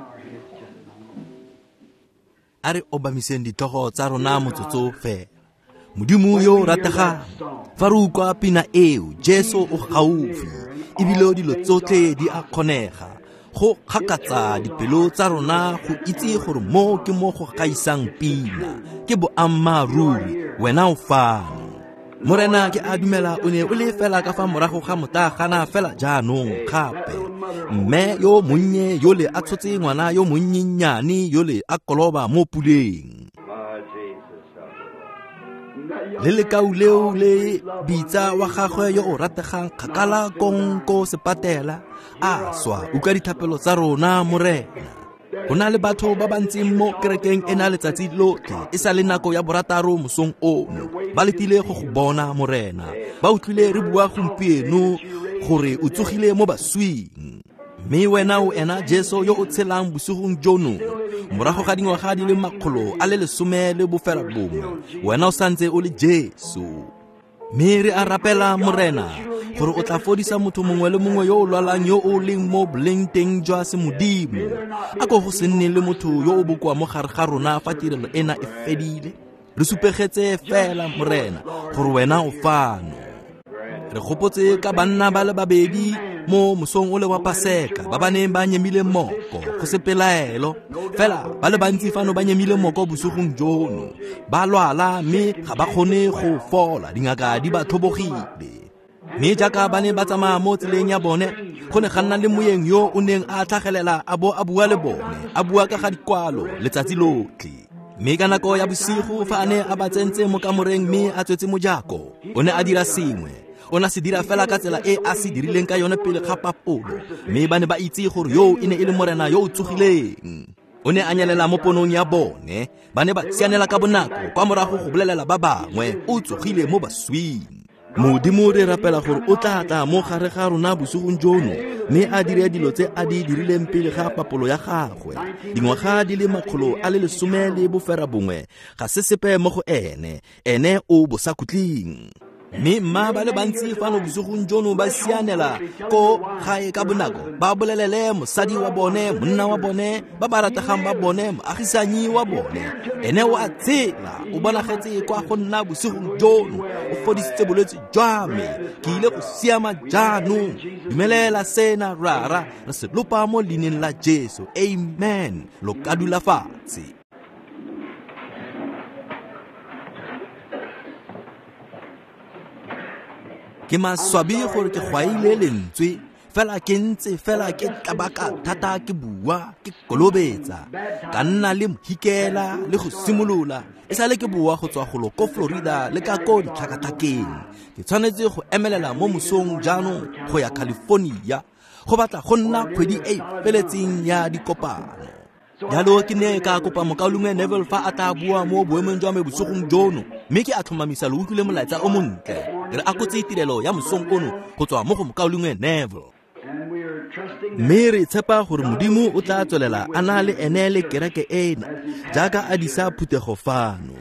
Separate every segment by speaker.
Speaker 1: our heads just a moment.
Speaker 2: A re obamiseng ditlhogo tsa rona motsotso fela. Modimo yo o rategang, fa re utlwa pina eo, Jesu o gaufi, ebile dilo tsotlhe di a kgonega. Go kgakatsa dipelo tsa rona go itse gore mo ke mo go gaisang pina, ke boammaaruri, wena o fano. Morena, ke a dumela o ne o le fela ka fa morago ga motagana fela jaanong gape. Mme yo monnye yole a tshotse ngwana yo monnyennyane yole a koloba mo puleng. Le lekau leo le bitsa wa gagwe yo o rategang kgakala kong ko sepatela, a swa. Utlwa dithapelo tsa rona, Morena. Go na le batho ba ba ntseng mo kerekeng ena letsatsi lotlhe, e sa le nako ya 6 mosong ono, ba letile go go bona, Morena. Ba utlwile re bua gompieno gore o tsogile mo baswing, mme wena o ena Jesu yo o tshelang bosigong jono. Morago ga dingwaga di le 119, wena o santse o le Jesu. Mme re a rapela, Morena, gore o tla fodisa motho mongwe le mongwe yo o lwalang yo o leng mo boleng teng jwa semodimo. A ko go se nne le motho yo o bokoa mo gare ga rona fa tirelo ena e fedile. Re supegetse fela, Morena, gore wena o fano. Re gopotse ka banna ba le babedi mo mosong o le wa Paseka ba ba neng ba nyemile moko, go se pelaelo. Fela ba le bantsi fano ba nyemile moko bosigong jono, ba lwala mme ga ba kgone go fola, dingaka di ba tlhobogile. Mme jaaka ba ne ba tsamaya mo tseleng ya bone, go ne ga nna le moeng yo o neng a tlhagelela a bo a bua le bone, a bua ka ga dikwalo letsatsi lotlhe. Mme ka nako ya bosigo fa a ne a ba tsentse mo kamoreng mme a tswetse mojako, o ne a dira sengwe. O ne a se dira fela ka tsela e a se dirileng ka yone pele ga papolo, mme ba ne ba itse gore yo e ne e le Morena yo o tsogileng. O ne a nyelela mo ponong ya bone, ba ne ba sianela ka bonako kwa morago go bolelela ba bangwe, o tsogile mo baswing. Modimo, re rapela gore o tla tla mo gare ga rona bosigong jono, mme a dire dilo tse a di dirileng pele ga papolo ya gagwe. Dingwaga di le 119 ga se sepe mo go ene, ene o bosakhutleng. Mme mma ba le bantsi fano bosigong jono ba sianela ko gae ka bonako, ba bolelele mosadi wa bone, monna wa bone, ba ba rategang ba bone, moagisanyi wa bone. Ene o a tshela, o bonagetse kwa go nna bosigong jono, o fodisitse bolwetse jwa me, ke ile go siama jaanong. Dumelela sena, Rara, re se lopa mo leineng la Jesu. Amen. Lo ka dula fatshe. Ke maswabi gore ke gwaile lentswe, fela ke ntse fela ke tlabaka thata ke bua, ke kolobetsa, ka nna le mohikela le go simolola. E sale ke boa go tswa golo ko Florida le ka ko ditlhakatlhakeng. Ke tshwanetse go emelela mo mosong jaanong go ya California, go batla go nna kgwedi e e feletseng ya dikopano. Jalo ke ne ka kopa mokaulengwe Neville fa a tla bua mo boemong jwa me bosigong jono, mme ke a tlhomamisa lo utlwile molaetsa o montle. Re akotse tirelo ya mosong ono go tswa mo go mokaulengwe Neville. Mme re tshepa gore Modimo o tla tswelela a na le ene le kereke ena jaaka a disa phuthego fano.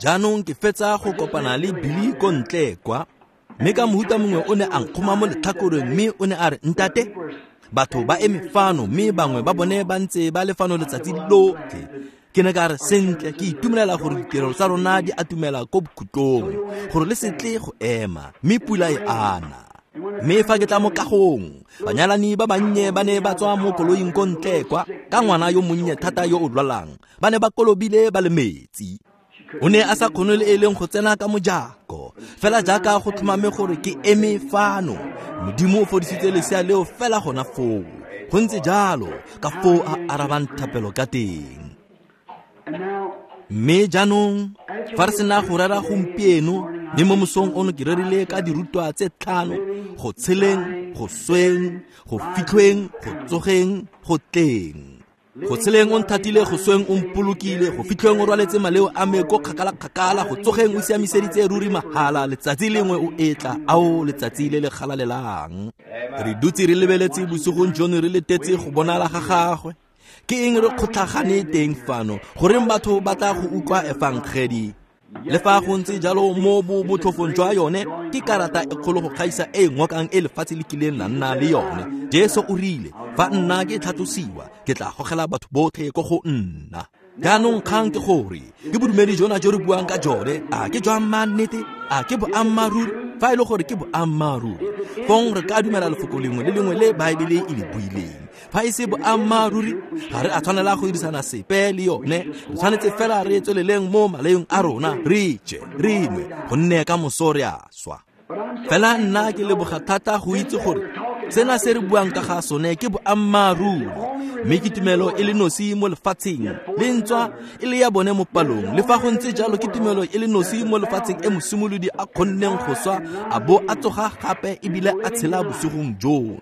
Speaker 2: Jaanong ke fetsa go kopana le Billy ko ntle kwa, mme ka mohuta mongwe o ne a nkgoma mo letlhakoreng mme o ne a re, Ntate, batho ba eme fano mme bangwe ba bone ba ntse ba le fano letsatsi lotlhe. Ke ne ka re, sentle, ke itumelela gore ditirelo tsa rona di atumela ko bokhutlong, gore le se tle go ema, mme pula e ana. Mme fa ke tla mo kagong, banyalani ba bannye ba ne ba tswa mo koloing ko ntle kwa, ka ngwana yo monnye thata yo o lwalang, ba ne ba kolobile ba le metsi. O ne a sa kgone le e leng go tsena ka mojako, fela jaaka go tlhomame gore ke eme fano. Modimo o fodisitse lesea leo fela gona foo. Go ntse jalo ka foo a arabang thapelo ka teng. Mme jaanong fa re sena go rera gompieno, mme mo mosong ono ke rerile ka dirutwa tse 5, go tsheleng, go sweng, go fitlhweng, go tsogeng, go tleng. Go tsheleng o nthatile, go sweng o mpolokile, go fitlhweng o rwaletse maleo a me ko kgakala-kgakala, go tsogeng o siamiseditse ruri mahala, letsatsi lengwe o etla, ao letsatsi le le galalelang. Re dutse re lebeletse bosigong jono re letetse go bonala ga gagwe. Ke eng re kgotlhagane teng fano? Goreng batho ba tla go utlwa efangedi? Le fa go ntse jalo mo botlhofong jwa yone ke karata e kgolo go gaisa e ngokang e lefatshe le kileng la nna le yone. Jesu o rile, fa nna ke tlhatlosiwa, ke tla gogela batho botlhe ko go nna. Jaanong kgang ke gore ke bodumedi jona jo re buang ka jone, a ke jwa mannete, a ke boammaaruri? Fa e le gore ke boammaaruri, fong re ka dumela lefoko lengwe le lengwe le Baebele e le buileng. Fa e se boammaaruri, ga re a tshwanela go dirisana sepe le yone. Re tshwanetse fela re tsweleleng mo maleong a rona, re je, re nwe, gonne ka moso re a swa. Fela nna ke leboga thata go itse gore sena se re buang ka ga sone ke boammaaruri, mme ke tumelo e le nosi mo lefatsheng, le ntswa e le ya bone mo palong. Le fa go ntse jalo ke tumelo e le nosi mo lefatsheng e mosimolodi a kgonneng go swa a bo a tsoga gape ebile a tshela bosigong jono.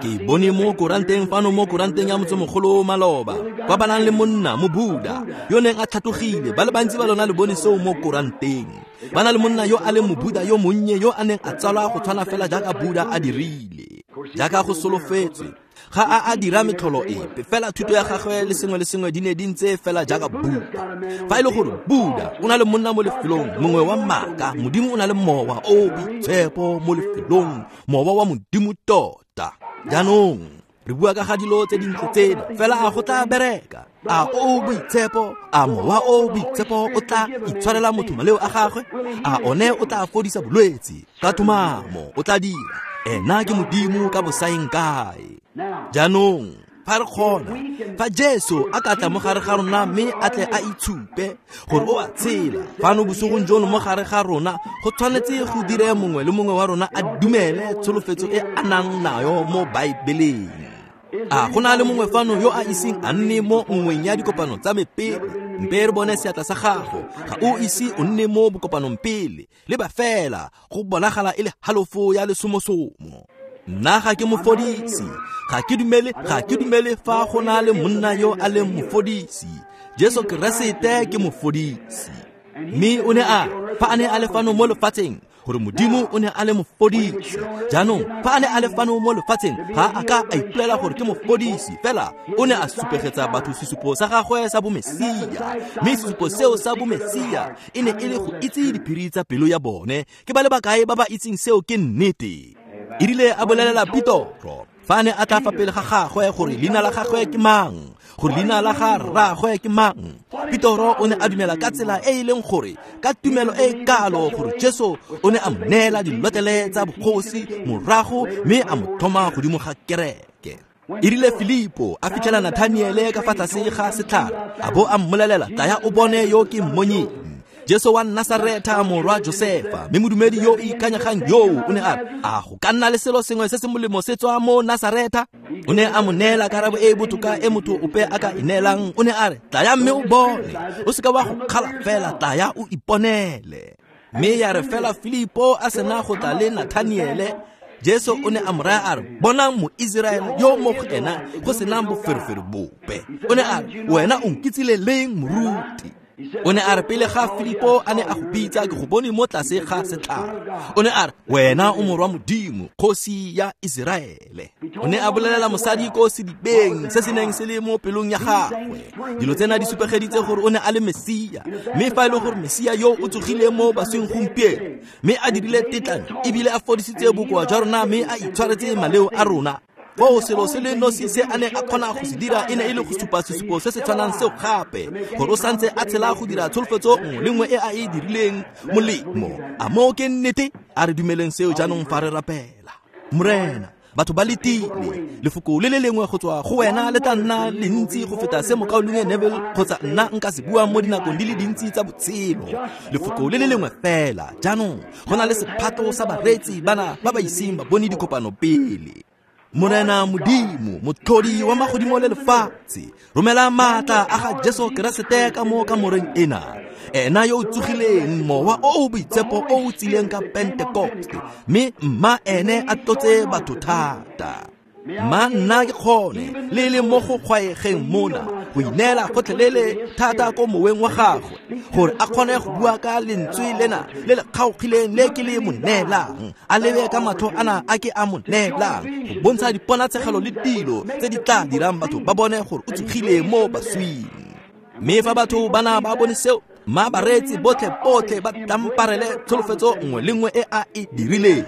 Speaker 2: Ke bone mo koranteng fano mo koranteng ya motsemogolo maloba, kwa ba nang le monna mo Buddha yo neng a tlhatlogile. Ba le bantsi ba lona le bone seo mo koranteng. Ba na le monna yo a leng mobuda yo monnye yo a neng a tsalwa go tshwana fela jaaka Buddha a dirile, jaaka go solofetswe. Ga a a dira metlholo epe, fela thuto ya gagwe le sengwe le sengwe di ne di ntse fela jaaka Buddha. Fa e le gore Buddha o na le monna mo lefelong mongwe wa maaka, Modimo o na le mowa o boitshepo mo lefelong, mowa wa Modimo tota. Jaanong re bua ka ga dilo tse dintle tsena, fela a go tla bereka? A o boitshepo, a mowa o boitshepo o tla itshwarela motho maleo a gagwe? A one o tla fodisa bolwetse? Ka tlhomamo o tla dira. Ena ke Modimo ka bosaeng kae. Jaanong fa re kgona, fa Jesu a ka tla mo gare ga rona mme a tle a itshupe gore o a tshela fano bosigong jono mo gare ga rona, go tshwanetse go dire mongwe le mongwe wa rona a dumele tsholofetso e a nang nayo mo Baebeleng. A go na le mongwe fano yo a iseng a nne mo nngweng ya dikopano tsa me pele? Mpe re bone seatla sa gago. Ga o ise o nne mo bokopanong pele, leba fela go bonagala e le halofo ya lesomosomo. Nna ga ke mofodisi, ga ke dumele fa go na le monna yo a leng mofodisi. Jesu Keresete ke mofodisi. Mme o ne a, fa a ne a le fano mo lefatsheng, gore Modimo o ne a le mofodisi. Jaanong fa a ne a le fano mo lefatsheng, ga a ka a ipolela gore ke mofodisi, fela o ne a supegetsa batho sesupo sa gagwe sa bomesia. Mme sesupo seo sa bomesia e ne e le go itse diphiri tsa pelo ya bone. Ke ba le bakae ba ba itseng seo ke nnete? E rile a bolelela Petoro fa a ne a tla fa pele ga gagwe gore leina la gagwe ke mang, gore leina la ga rraagwe ke mang, Petoro o ne a dumela ka tsela e e leng gore ka tumelo e kalo gore Jesu o ne a mo neela dilotlele tsa bogosi morago mme a mo tlhoma godimo ga kereke. E rile Filipo a fitlhela Nathaniele ka fa tlase ga setlhare, a bo a mmolelela, tlaya o bone yo ke mmonyeng, Jesu wa Nasaretha morwa Josefa. Mme modumedi yo o ikanyegang yoo o ne a re, a go ka nna le selo sengwe se se molemo se tswa mo Nasaretha? O ne a mo neela karabo e e botoka e motho ope a ka e neelang. O ne a re, tlaya mme o bone, o seka wa go kgala fela, tlaya o iponele. Mme ya re fela Filipo a sena go tla le Nathaniele, Jesu o ne a mo raya a re, bonang moIseraele yo mo go ena go senang boferefere bope. O ne a re, wena o nkitsile leng moruti? O ne a re, pele ga Filipo a ne a go bitsa, ke go bone mo tlase ga setlhare. O ne a re, wena o morwa Modimo, kgosi ya Iseraele. O ne a bolelela mosadi ko sedibeng se se neng se le mo pelong ya gagwe. Dilo tsena di supegeditse gore o ne a le Mesia. Mme fa e le gore Mesia yo o tsogile mo basweng gompieno, mme a dirile tetlanyo ebile a fodisitse bokoa jwa rona mme a itshwaretse maleo a rona, foo selo se le nosi se a neng a kgona go se dira e ne e le go supa sesupo se se tshwanang seo gape, gore o santse a tshela go dira tsholofetso nngwe le nngwe e a e dirileng molemo. A moo ke nnete? A re dumeleng seo jaanong fa re rapela. Morena, batho ba letile lefoko le le lengwe go tswa go wena le tla nna lentsi go feta se mokaulengwe Neville kgotsa nna nka se buang mo dinakong di le dintsi tsa botshelo. Lefoko le le lengwe fela. Jaanong go na le sephato sa bareetsi bana ba ba iseng ba bone dikopano pele. Morena Modimo, motlhodi wa magodimo le lefatshe, romela maatla a ga Jesu Keresete ka mo kamoreng ena. Ena yo o tsogileng, mowa o o boitshepo o o tsileng ka Pentekoste, mme mma ene a tlotse batho thata. Mma nna ke kgone le le mo go kgwaegeng mona go ineela gotlhelele thata ko moweng wa gagwe, gore a kgone go bua ka lentswe lena le le kgaogileng le ke le mo neelang, a lebe ka matlho ana a ke a mo neelang, go bontsha diponatshegelo le dilo tse di tla dirang batho ba bone gore o tsogile mo baswing. Mme fa batho bana ba bone seo, Mma bareetsi botlhe ba tlamparele tsholofetso nngwe le nngwe e a e dirileng.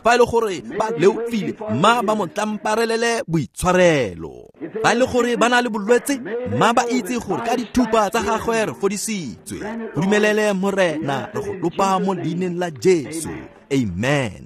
Speaker 2: Fa e le gore ba leofile, mma ba mo tlamparelele boitshwarelo. Fa e le gore ba na le bolwetse, mma ba itse gore ka dithupa tsa gagwe re fodisitswe. Go dumelele Morena, re go lopa mo leineng la Jesu. Amen.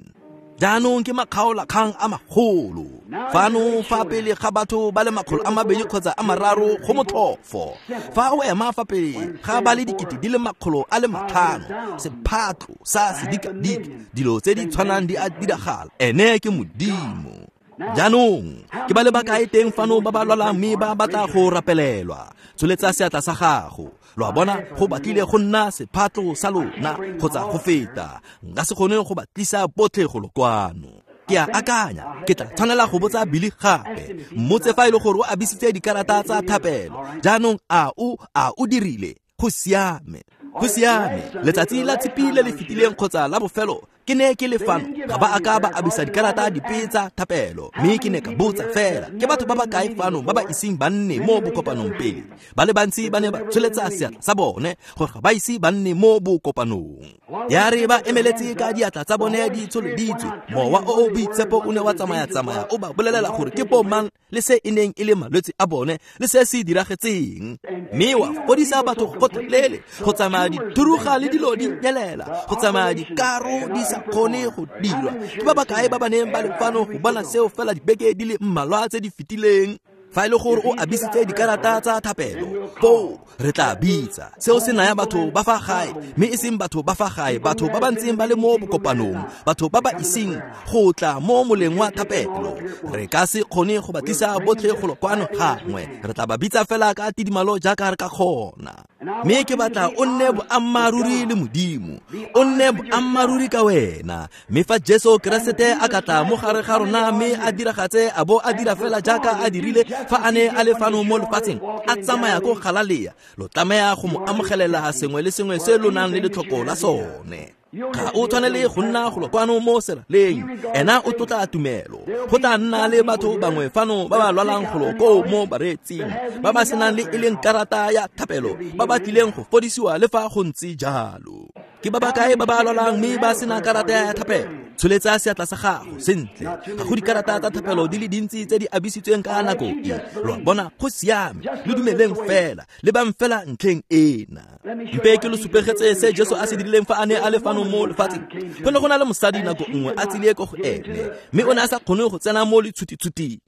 Speaker 2: Jaanong ke makgaolakgang a magolo. Fano fa pele ga batho ba le 200 kgotsa 300 go motlhofo. Fa o ema fa pele ga ba le 500,000, sephatlo sa sedikadike, dilo tse di tshwanang di a diragala. Ene ke Modimo. Jaanong ke ba le bakae teng fano ba ba lwalang mme ba batla go rapelelwa? Tsholetsa seatla sa gago. Lo a bona, go batlile go nna sephatlo sa lona kgotsa go feta. Nka se kgone go ba tlisa botlhe go lokwano. Ke a akanya ke tla tshwanela go botsa Billy gape. Mmotse fa e le gore o abisitse dikarata tsa thapelo. Jaanong a o dirile? Go siame. Go siame. Letsatsi la Tshipi le le fetileng kgotsa la bofelo ke ne ke le fano, ga ba a ka ba abisa dikarata dipe tsa thapelo. Mme ke ne ka botsa fela, ke batho ba ba kae fano ba ba iseng ba nne mo bokopanong pele? Ba le bantsi ba ne ba tsholetsa seatla sa bone gore ga ba ise ba nne mo bokopanong. Ya re ba emeletse ka diatla tsa bone di tsholeditswe, mowa o o boitshepo o ne wa tsamaya-tsamaya o ba bolelela gore ke bo mang le se e neng e le malwetse a bone le se se diragetseng. Mme wa fodisa batho gotlhelele, go tsamaya dithuruga le dilo di nyelela, go tsamaya dikaro di sa kgone go dirwa. Ke ba bakae ba ba neng ba le fano go bona seo fela dibeke di le mmalwa tse di fetileng? Fa e le gore o abisitse dikarata tsa thapelo, foo re tla bitsa. Seo se naya batho ba fa gae, mme e seng batho ba fa gae, batho ba ba ntseng ba le mo bokopanong, batho ba ba iseng go tla mo moleng wa thapelo. Re ka se kgone go ba tlisa botlhe go kwano gangwe. Re tla ba bitsa fela ka tidimalo jaaka re ka kgona. Mme ke batla o nne boammaaruri le Modimo, o nne boammaaruri ka wena. Mme fa Jesu Keresete a ka tla mo gare ga rona mme a diragatse a bo a dira fela jaaka a dirile fa a ne a le fano mo lefatsheng, a tsamaya ko Galalea, lo tlameha go mo amogelela sengwe le sengwe se lo nang le letlhoko la sone. Ga o tshwanele go nna go kwano mo seraleng. Ena o tlotla tumelo. Go tla nna le batho bangwe fano ba ba lwalang golo koo mo bareetsing, ba ba senang le e leng karata ya thapelo, ba ba tlileng go fodisiwa le fa go ntse jalo. Ke ba bakae ba ba lwalang mme ba sena karata ya thapelo? Tsholetsa seatla sa gago. Sentle, ga go dikarata tsa thapelo di le dintsi tse di abisitsweng ka nako e. Lo a bona, go siame. Lo dumeleng fela, lebang fela ntlheng ena. Mpe ke lo supegetse se Jesu a se dirileng fa a ne a le fano mo lefatsheng. Go ne go na le mosadi nako nngwe a tsile ko go ene, mme o ne a sa kgone go tsena mo letshutitshuting.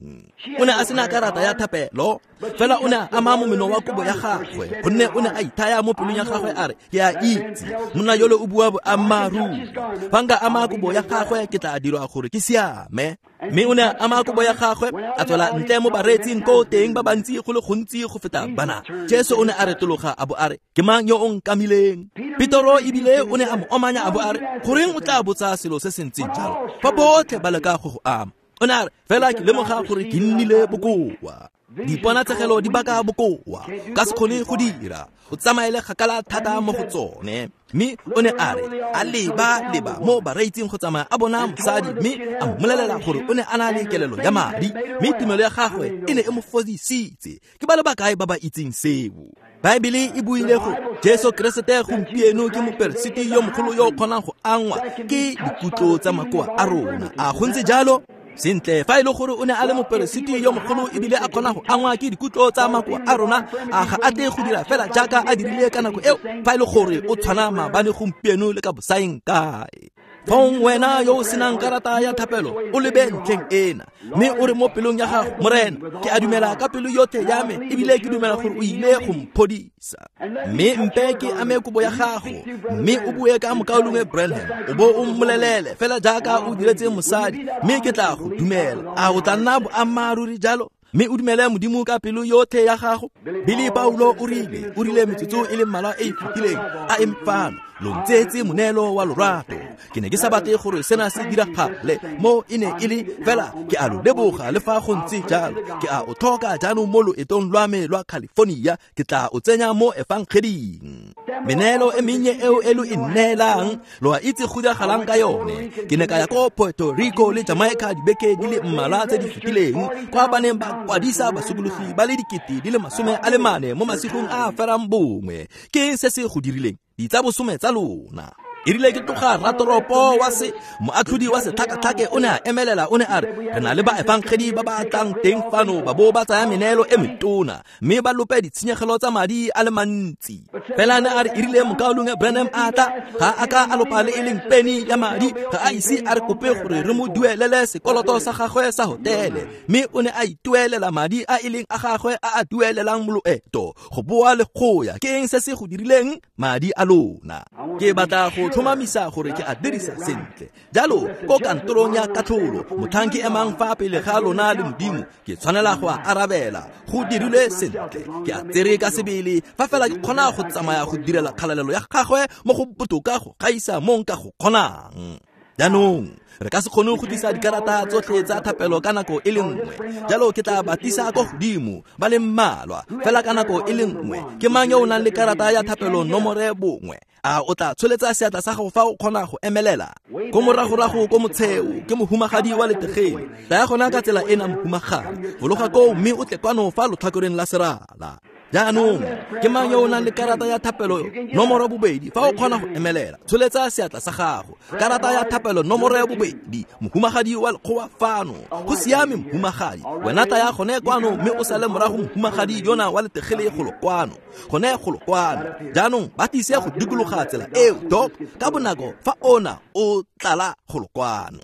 Speaker 2: O ne a sena karata ya thapelo, fela o ne a ama momeno wa kobo ya gagwe, gonne o ne a ithaya mo pelong ya gagwe a re, ke a itse monna yole o bua boammaaruri. Fa nka ama kobo ya gagwe ke tla dirwa gore ke siame. Mme o ne a ama kobo ya gagwe, a tswela ntle mo bareetsing ko teng ba bantsi go le gontsi go feta bana. Jesu o ne a retologa a bo a re, ke mang yo o nkamileng? Petoro ebile o ne a mo omanya a bo a re, goreng o tla botsa selo se se ntseng jalo fa botlhe ba leka go go ama? O ne a re, fela ke lemoga gore ke nnile bokoa. Diponatsegelo di baka bokoa, ka se kgone go dira, o tsamaele kgakala thata mo go tsone. Mme o ne a re, a leba mo bareetsing go tsamaya a bona mosadi, mme a mmolelela gore o ne a na le kelelo ya madi, mme tumelo ya gagwe e ne e mo fodisitse. Ke ba le bakae ba ba itseng seo? Baebele e buile gore Jesu Keresete gompieno ke moperesiti yo mogolo yo o kgonang go angwa ke dikutlo tsa makoa a rona. A go ntse jalo? Sentle, fa e le gore o ne a le moperesiti yo mogolo ebile a kgona go angwa ke dikutlo tsa makoa a rona, a ga a tle go dira fela jaaka a dirile ka nako eo? Fa e le gore o tshwana maabane, gompieno le ka bosaeng kae? Fong wena yo o senang karata ya thapelo, o lebe ntlheng ena, mme o re mo pelong ya gago, Morena, ke a dumela ka pelo yotlhe ya me, ebile ke dumela gore o ile go mphodisa. Mme mpe ke ame kobo ya gago, mme o bue ka mokaulengwe Branham, o bo o mmolelele fela jaaka o diretse mosadi, mme ke tla go dumela. A o tla nna boammaaruri jalo? Mme o dumele Modimo ka pelo yotlhe ya gago. Billy Paulo o rile metsotso e le mmalwa e e fetileng, a eme fano. Lo ntseetse moneelo wa lorato. Ke ne ke sa batle gore sena se diragale mo e ne e le fela ke a lo leboga le fa go ntse jalo. Ke a o tlhoka jaanong mo loetong lwa me lwa California, ke tla o tsenya mo efangeding. Meneelo e mennye eo e lo e neelang, lo a itse go diragalang ka yone. Ke ne ka ya ko Puerto Rico le Jamaica dibeke di le mmalwa tse di fetileng, kwa ba neng ba kwadisa basokologi ba le 44,000 mo masigong a a ferang bongwe. Ke eng se se go dirileng? Ditsabosome tsa lona. E rile ke tloga ratoropo wa se moatlhodi wa setlhakatlhake o ne a emelela, o ne a re re na le baefangedi ba ba tlang teng fano ba bo ba tsaya meneelo e metona mme ba lope ditshenyegelo tsa madi a le mantsi. Fela ne a re e rile mokaulengwe Branham a tla, ga a ka a lopa le e leng peni ya madi, ga a ise a re kope gore re mo duelele sekoloto sa gagwe sa hotele, mme o ne a ituelela madi a e leng a gagwe a a duelelang loeto go boa le go ya. Ke eng se se go dirileng? Madi a lona. Ke batla go tlhomamisa gore ke a dirisa sentle. Jalo ko kantorong ya katlholo, motlhang ke emang fa pele ga lona le Modimo, ke tshwanela go a arabela. Go dirilwe sentle, ke a tsere ka sebele, fa fela ke kgona go tsamaya go direla kgalalelo ya gagwe mo go botoka go gaisa mo nka go kgonang. Jaanong re ka se kgone go tlisa dikarata tsotlhe tsa thapelo ka nako e le nngwe, jalo ke tla ba tlisa ko godimo ba le mmalwa fela ka nako e le nngwe. Ke mang yo o nang le karata ya thapelo nomore 1? A o tla tsholetsa seatla sa gago fa o kgona go emelela? Ko moragorago ko motsheo ke mohumagadi wa letegele. Tlaya gona ka tsela ena mohumagadi, fologa koo mme o tle kwano fa lotlhakoreng la serala. Jaanong ke mang yo o nang le karata ya thapelo nomoro 2? Fa o kgona go emelela, tsholetsa seatla sa gago. Karata ya thapelo nomoro 2, mohumagadi wa lekgowa fano. Go siame mohumagadi, wena tlaya gone kwano mme o sale morago mohumagadi yona wa letegele golo kwano, gone golo kwano. Jaanong ba tlise go dikologa tsela eo, Doc, ka bonako fa ona o tlala golo kwano.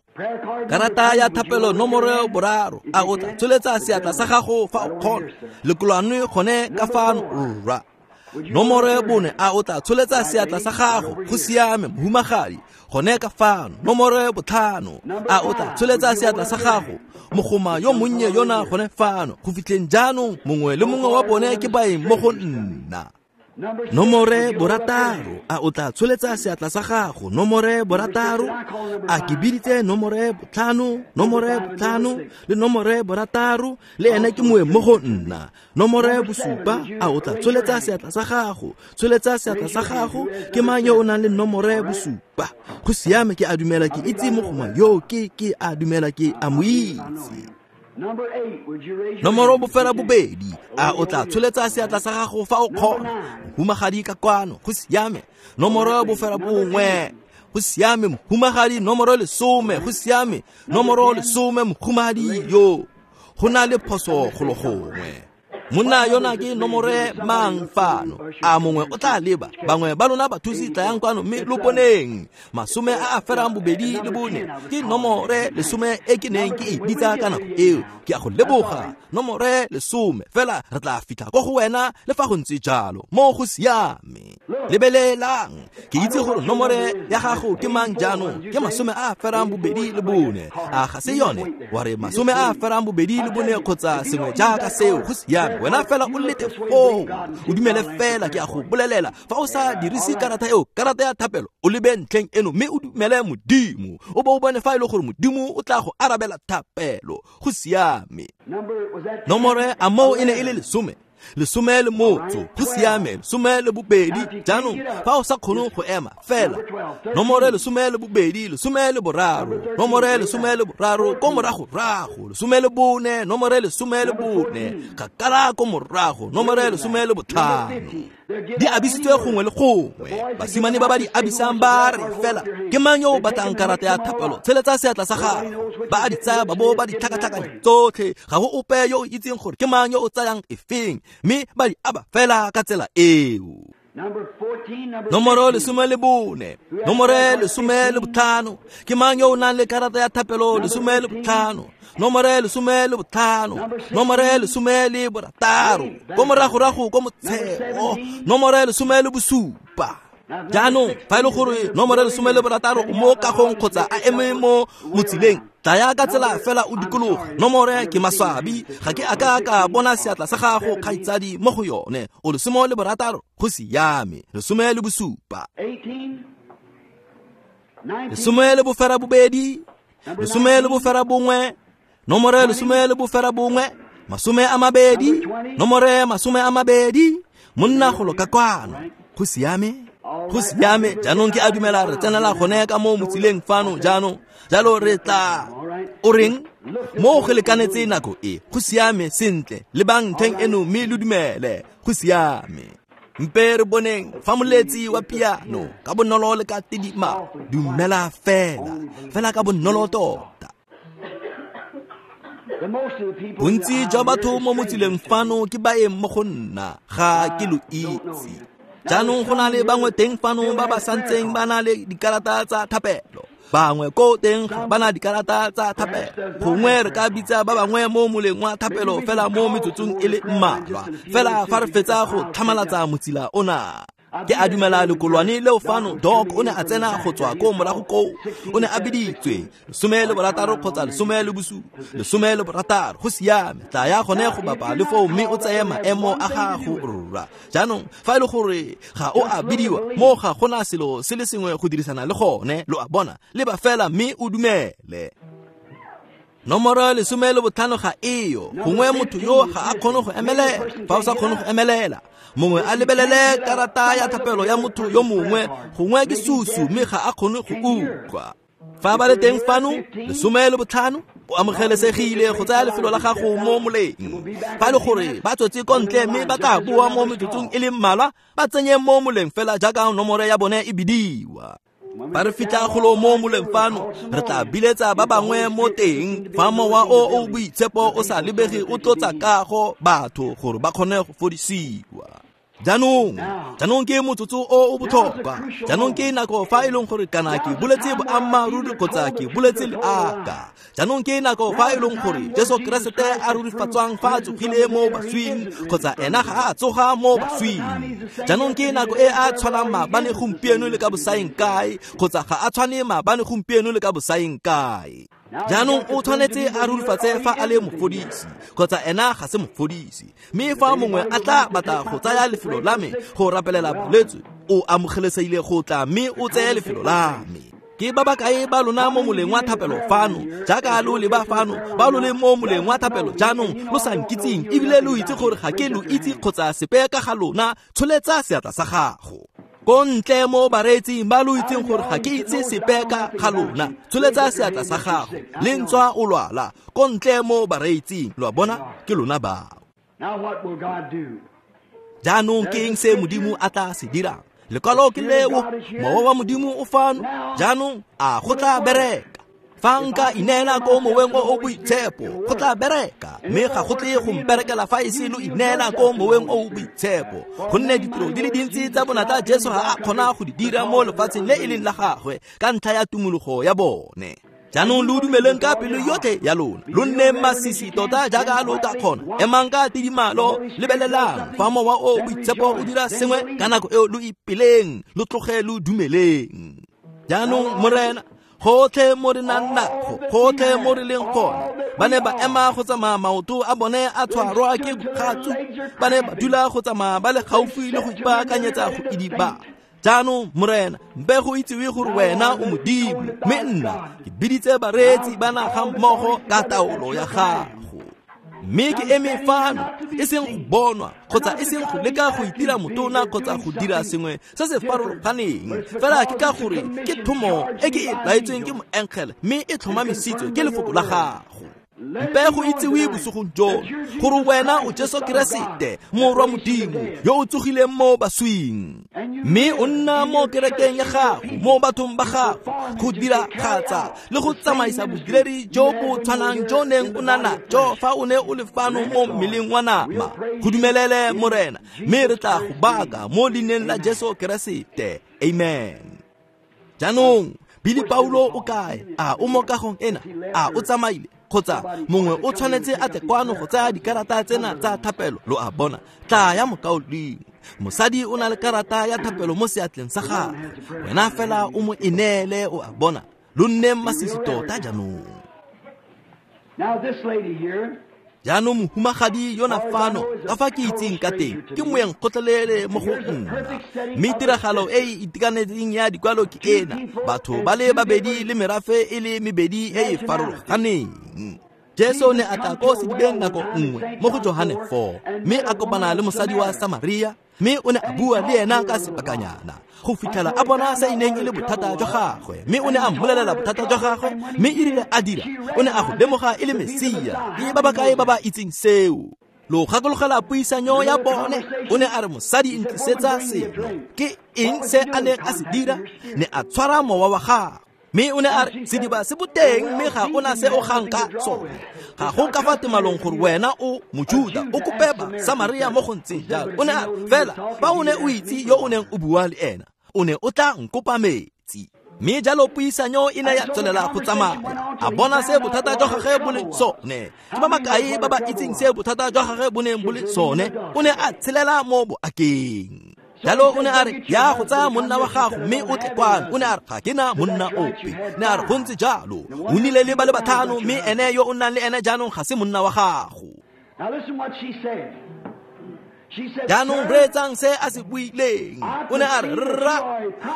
Speaker 2: Karata ya thapelo nomoro 3, a o tla tsholetsa seatla sa gago fa o kgona? Lekolwane gone ka fano rra. Nomoro 4, a o tla tsholetsa seatla sa gago? Go siame mohumagadi, gone ka fano. Nomoro 5, a o tla tsholetsa seatla sa gago? Mogoma yo monnye yona gone fano. Go fitlheng jaanong mongwe le mongwe wa bone ke baeng mo go nna. Nomore 6, a o tla tsholetsa seatla sa gago? Nomore 6, a ke biditse nomore 5, nomore 5 le nomore 6, le ene ke moeng mo go nna. Nomore 7, a o tla tsholetsa seatla sa gago? Tsholetsa seatla sa gago. Ke mang yo o nang le nomore 7? Go siame, ke a dumela ke itse mogoma yo, ke a dumela ke a mo itse. Nomoro 8, a o tla tsholetsa seatla sa gago fa o kgona? Mohumagadi ka kwano. Go siame. Nomoro 9, go siame mohumagadi. Nomoro 10, go siame. Nomoro 10, mohumagadi yo. Go na le phoso golo gongwe. Monna yona ke nomore mang fano? A mongwe o tla leba? Bangwe ba lona bathusi tlayang kwano mme lo boneng. 24 ke nomore 10 e ke neng ke e bitsa ka nako eo. Ke a go leboga. Nomore 10, fela re tla fitlha ko go wena le fa go ntse jalo. Mo go siame. Lebelelang, ke itse gore nomore ya gago ke mang jaanong. Ke 24. A ga se yone? Wa re 24 kgotsa sengwe jaaka seo. Go siame. Wena fela o lete foo, o dumele fela. Ke a go bolelela, fa o sa dirise karata eo, karata ya thapelo, o lebe ntlheng eno mme o dumele Modimo, o bo o bone fa e le gore Modimo o tla go arabela thapelo. Go siame. Nomore a moo e ne e le 10, 10 le motso. Go siame. 12. Jaanong fa o sa kgone go ema fela, nomore 12, 13, nomore 13 ko moragorago, 14, nomore 14 kgakala ko morago, nomore 15. Di abisitswe gongwe le gongwe. Basimane ba ba di abisang ba re fela, ke mang yo o batlang karata ya thapelo? Tsholetsa seatla sa gago. Ba a di tsaya ba bo ba di tlhakatlhakanya tsotlhe. Ga go ope yo o itseng gore ke mang yo o tsayang efeng, mme ba di aba fela ka tsela eo. Nomoro 14, nomore 15. Ke mang yo o nang le karata ya thapelo 15? Nomore 15, nomore 16, ko moragorago ko motsheo, nomore 17. Jaanong fa e le gore nomore 16 o mo kagong kgotsa a eme mo motsileng, Tlaya ka tsela fela o dikologa. Nomore ke maswabi, ga ke a ka ka bona seatla sa gago kgaitsadi mo go yone. O 16, go siame. 17. 18, 19, nomore 19, 20, nomore 20, monna golo ka kwano. Go siame. Go siame. Jaanong ke a dumela re tsenela gone ka mo motsileng fano jaanong. Jalo re tla o reng mo go lekanetse nako e. Go siame sentle. Lebang ntlheng eno mme lo dumele. Go siame. Mpe re boneng fa moletsi wa piano ka bonolo le ka tidima. Dumela fela, fela ka bonolo tota. Bontsi jwa batho mo motsileng fano ke baeng mo go nna, ga ke lo itse. Jaanong go na le bangwe teng fano ba ba santseng ba na le dikarata tsa thapelo. Bangwe ko teng ga ba na dikarata tsa thapelo. Gongwe re ka bitsa ba bangwe mo moleng wa thapelo fela mo metsotsong e le mmalwa. Fela fa re fetsa go tlhamalatsa motsila ona. Ke a dumela lekolwane leo fano, Doc o ne a tsena go tswa ko morago koo. O ne a biditswe 16 kgotsa 17, 16. Go siame. Tlaya gone go bapa le foo mme o tseye maemo a gago rra. Jaanong fa e le gore ga o a bidiwa, mo ga gona selo se le sengwe go dirisana le gone, lo a bona. Leba fela mme o dumele. Nomoro 15 ga eyo. Gongwe motho yo ga a kgone go emelela. Fa o sa kgone go emelela, mongwe a lebelele karata ya thapelo ya motho yo mongwe, gongwe ke susu mme ga a kgone go utlwa. Fa ba le teng fano, 15, o amogelesegile go tsaya lefelo la gago mo moleng. Fa e le gore ba tswetse ko ntle mme ba tla boa mo metsotsong e le mmalwa, ba tsenye mo moleng fela jaaka nomoro ya bone e bidiwa. Fa re fitlha golo mo moleng fano, re tla biletsa ba bangwe mo teng. Fa mowa o o boitshepo o sa lebege o tlotsa kago batho gore ba kgone go fodisiwa. Jaanong ke motsotso o o botlhokwa. Jaanong ke nako fa e leng gore kana ke boletse boammaaruri kgotsa ke boletse leaka. Jaanong ke nako fa e leng gore Jesu Keresete a rurifatswang fa a tsogile mo baswing kgotsa ena ga a tsoga mo baswing. Jaanong ke nako e a tshwanang maabane gompieno le ka bosaeng kae kgotsa ga a tshwane maabane gompieno le ka bosaeng kae. Jaanong o tshwanetse a rurifatse fa a le mofodisi kgotsa ena ga se mofodisi. Mme fa mongwe a tla batla go tsaya lefelo la me go rapelela bolwetse, o amogelesegile go tla mme o tseye lefelo la me. Ke ba bakae ba lona mo moleng wa thapelo fano, jaaka lo leba fano, ba lo le mo moleng wa thapelo jaanong lo sa nkitseng ebile lo itse gore ga ke lo itse kgotsa sepe ka ga lona, tsholetsa seatla sa gago. Ko ntle mo bareetsing ba lo itseng gore ga ke itse sepe ka ga lona, tsholetsa seatla sa gago. Le ntswa o lwala, ko ntle mo bareetsing, lo a bona, ke lona bao. Jaanong ke eng se Modimo a tla se dirang? Lekwalo ke leo, mowa wa Modimo o fano. Jaanong a go tla bereka. Fa nka ineela ko moweng o o boitshepo, go tla bereka. Mme ga go tle go mperekela fa e se lo ineela ko moweng o o boitshepo. Gonne ditiro di le dintsi tsa bonatla Jesu ga a kgona go di dira mo lefatsheng le e leng la gagwe ka ntlha ya tumologo ya bone. Jaanong lo dumeleng ka pelo yotlhe ya lona, lo nne masisi tota jaaka lo ka kgona. Emang ka tidimalo, lebelelang fa mowa o boitshepo o dira sengwe ka nako eo lo ipeleng, lo tloge lo dumeleng. Jaanong Morena, gotlhe mo re nang nago, gotlhe mo re leng gone, ba ne ba ema go tsamaya maoto a bone a tshwarwa ke bogatsu, ba ne ba dula go tsamaya ba le gaufi le go ipaakanyetsa go idiba. Jaanong Morena, mpe go itsiwe gore wena o Modimo, mme nna ke biditse bareetsi ba naga mmogo ka taolo ya gago. Mme ke eme fano, e seng go bonwa kgotsa e seng go leka go itira motona kgotsa go dira sengwe se se farologaneng, fela ke ka gore ke thomo e ke e laetsweng ke moengele mme e tlhomamisitswe ke lefoko la gago. Mpe go itsiwe bosigong jono gore wena o Jesu Keresete, Morwa Modimo yo o tsogileng mo baswing, mme o nna mo kerekeng ya gago, mo bathong ba gago, go diragatsa le go tsamaisa bodiredi jo bo tshwanang jo neng o na najo fa o ne o le fano mo mmeleng wa nama. Go dumelele Morena, mme re tla go baka mo leineng la Jesu Keresete. Amen. Jaanong Billy Paulo o kae? A o mo kagong ena? A o tsamaile? Kgotsa mongwe o tshwanetse a tle kwano go tsaya dikarata tsena tsa thapelo, lo a bona. Tla ya mokaulengwe. Mosadi o na le karata ya thapelo mo seatleng sa gagwe, wena fela o mo ineele, o a bona. Lo nne masisi tota jaanong.
Speaker 1: Now this lady here,
Speaker 2: Jaanong mohumagadi yona fano ka fa ke itseng ka teng ke moeng gotlhelele mo go nna, mme tiragalo e e itekanetseng ya dikwalo ke ena, batho ba le babedi le merafe e le mebedi e e farologaneng. Jesu ne a tla ko sedibeng nako nngwe mo go Johane 4, mme a kopana le mosadi wa Samaria, mme o ne a bua le ena ka sebakanyana go fitlhela a bona se e neng e le bothata jwa gagwe, mme o ne a mmolelela bothata jwa gagwe, mme e rile a dira o ne a go lemoga e le Mesia. Ke ba bakae ba ba itseng seo? Lo gakologela puisanyo ya bone? O ne a re, mosadi ntlisetsa seno. Ke eng se a neng a se dira? Ne a tshwara mowa wa gagwe. Mme o ne a re, sediba se boteng mme ga ona se o gang ka sone. Ga go ka fa temalong gore wena o Mojuda o kope ba Samaria mo go ntseng jalo. O ne a re, fela fa o ne o itse yo o neng o bua le ena, o ne o tla nkopa metsi. Mme jalo puisanyo e ne ya tswelela go tsamaya. A bona se bothata jwa gagwe bo leng sone. Ke ba makae ba ba itseng se bothata jwa gagwe bo neng bo le sone? O ne a tshelela mo boakeng. Jalo o ne a re, ya go tsaya monna wa gago mme o tle kwano. O ne a re, ga ke na monna ope. Ne a re, go ntse jalo, o nnile le ba le batlhano, mme ene yo o nnang le ene jaanong ga se monna wa gago.
Speaker 1: Now listen what she said. She said,
Speaker 2: Jaanong reetsang se a se buileng. O ne a re, rra,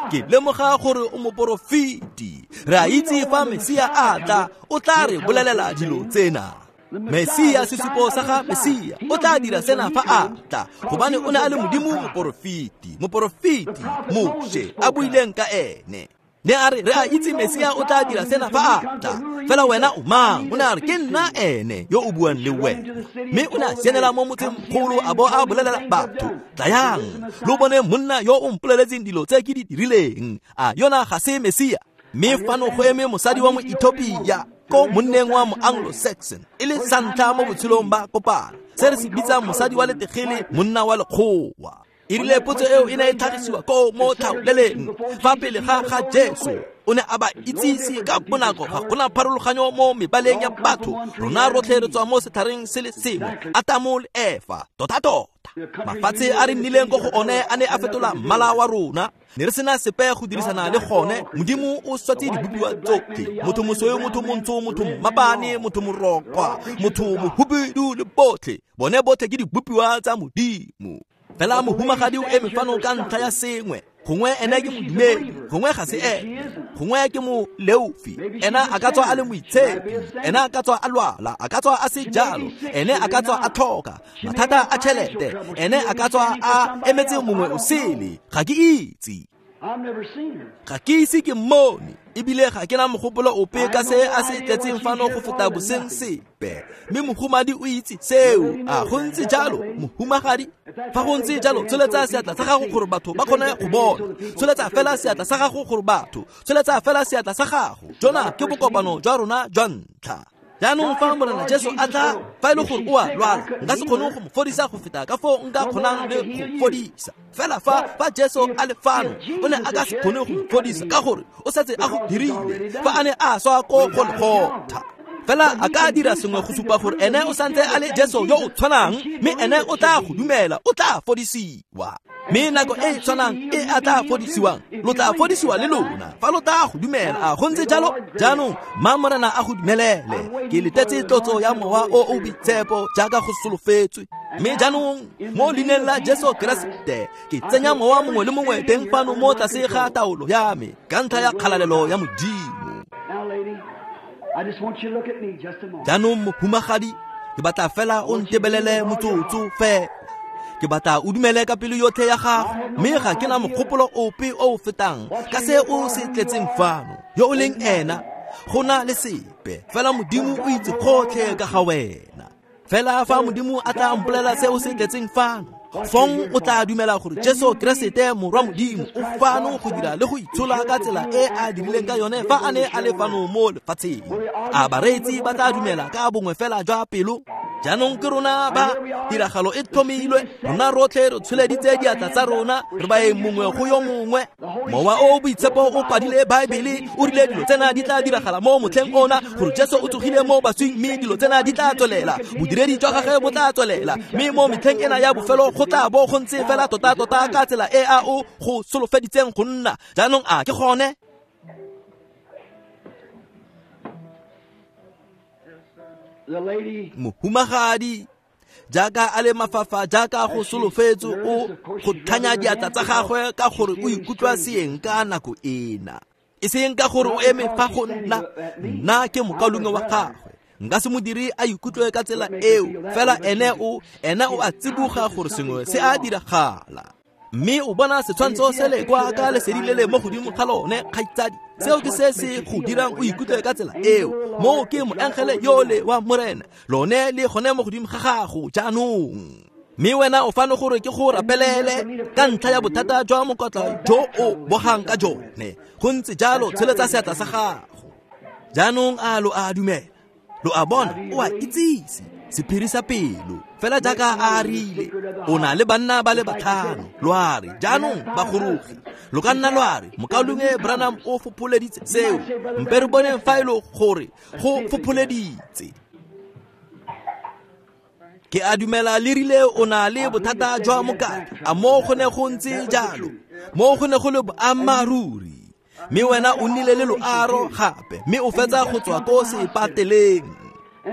Speaker 2: ke lemoga gore o moporofeti. Re a itse fa Mesia a tla, o tla re bolelela dilo tsena. Mesia, sesupo sa ga Mesia, o tla dira sena fa a tla, gobane o ne a le Modimo moporofeti, moporofeti Moshe a buileng ka ene. Ne a re, re a itse Mesia o tla dira sena fa a tla, fela wena o mang? O ne a re, ke nna ene yo o buang le wena. Mme o ne a sianela mo motsengkgolo a bo a bolelela batho, tlayang lo bone monna yo o mpoleletseng dilo tse ke di dirileng. A yona ga se Mesia? Mme fano go eme mosadi wa Moethiopia ko monneng wa mo-Anglo-Saxon, e le santlha mo botshelong ba kopana, se re se bitsang mosadi wa letegele, monna wa lekgowa. E rile potso eo e ne e tlhagisiwa ko mo tlhaoleleng fa pele ga ga Jesu, o ne a ba itsise ka bonako ga gona pharologanyo mo mebaleng ya batho. Rona rotlhe re tswa mo setlhareng se le sengwe, Atamo le Efa. Tota-tota mafatshe a re nnileng ko go one a ne a fetola mmala wa rona. Ne re sena sepe go dirisana le gone. Modimo o swatse dibopiwa tsotlhe, motho mosweu, motho montsho, motho mmapane, motho morokwa, motho mohubidu le botlhe. Bone botlhe ke dibopiwa tsa Modimo. Fela mohumagadi o eme fano ka ntlha ya sengwe. Gongwe ene ke modumedi, gongwe ga se ene, gongwe ke moleofi. Ena a ka tswa a le moitshepi, ena a ka tswa a lwala, a ka tswa a se jalo, ene a ka tswa a tlhoka mathata a tšhelete, ene a ka tswa a emetse mongwe o sele. Ga ke itse, ga ke ise ke mmone, ebile ga ke na mogopolo ope ka se a se tletseng fano go feta boseng sepe. Mme mohumadi o itse seo. A go ntse jalo, mohumagadi? Fa go ntse jalo, tsholetsa seatla sa gago gore batho ba kgone go bona. Tsholetsa fela seatla sa gago gore batho, tsholetsa fela seatla sa gago. Jona ke bokopano jwa rona jwa ntlha. Jaanong fa Morena Jesu a tla, fa e le gore o a lwala, nka se kgone go mo fodisa go feta ka foo nka kgonang le go fodisa. Fela fa Jesu a le fano, o ne a ka se kgone go mo fodisa ka gore o setse a go dirile fa a ne a swa ko Golgotha. Fela a ka dira sengwe go supa gore ene o santse a le Jesu yo o tshwanang, mme ene o tla go dumela, o tla fodisiwa. Mme nako e e tshwanang e a tla fodisiwang, lo tla fodisiwa le lona fa lo tla go dumela. A go ntse jalo? Jaanong mma Morena a go dumelele. Ke letetse tlotso ya Mowa o o Boitshepo jaaka go solofetswe. Mme jaanong mo leineng la Jesu Keresete ke tsenya mowa mongwe le mongwe teng fano mo tlase ga taolo ya me ka ntlha ya kgalalelo ya Modimo. Jaanong mohumagadi, ke batla fela o ntebelele motsotso fela. Ke batla o dumele ka pelo yotlhe ya gago, mme ga ke na mogopolo ope o o fetang ka se o se tletseng fano. Yo o leng ena, go na le sepe, fela Modimo o itse gotlhe ka ga wena. Fela fa Modimo a tla mpolela se o se tletseng fano, fong o tla dumela gore Jesu Keresete morwa Modimo o fano go dira le go itshola ka tsela e a dirileng ka yone fa a ne a le fano mo lefatsheng. A bareetsi ba tla dumela ka bongwe fela jwa pelo? Jaanong ke rona ba tiragalo e tlhomilwe, rona rotlhe re tsholeditse diatla tsa rona, re baeng mongwe go yo mongwe. Mowa o Boitshepo o kwadile Baebele, o rile dilo tsena di tla diragala mo motlheng ona, gore Jesu o tsogile mo baswing, mme dilo tsena di tla tswelela, bodiredi jwa gagwe bo tla tswelela, mme mo metlheng ena ya bofelo go tla bo go ntse fela tota-tota ka tsela e a o go solofeditseng go nna. Jaanong a ke gone? Mohumagadi jaaka a le mafafa jaaka go solofetse o go tlhanya diatla tsa gagwe ka gore o ikutlwa seeng ka nako ena. E seng ka gore o eme fa go nna, nna ke mokaulengwe wa gagwe. Nka se modiri a ikutlwe ka tsela eo, fela ene o a tsiboga gore sengwe se a diragala. Mme o bona setshwantsho se le kwa ka lesedi le le mo godimo ga lone, kgaitsadi. Seo ke se se go dirang o ikutlwe ka tsela eo. Moo ke moengele yole wa Morena, lone le gone mo godimo ga gago jaanong. Mme wena o fano gore ke go rapelele ka ntlha ya bothata jwa mokotla jo o bogang ka jone. Go ntse jalo, tsholetsa seatla sa gago. Jaanong a lo a dumela? Lo a bona, o a itsise sephiri sa pelo fela jaaka a rile. O na le banna ba le batlhano. Lo a re jaanong bagorogi, lo ka nna lo a re mokaulengwe Branham o fopholeditse seo. Mpe re boneng fa e le gore go fopholeditse. Ke a dumela le rile o na le bothata jwa mokatla. A mo go ne go ntse jalo? Mo go ne go le boammaaruri. Mme wena o nnile le loaro gape, mme o fetsa go tswa ko sepateleng.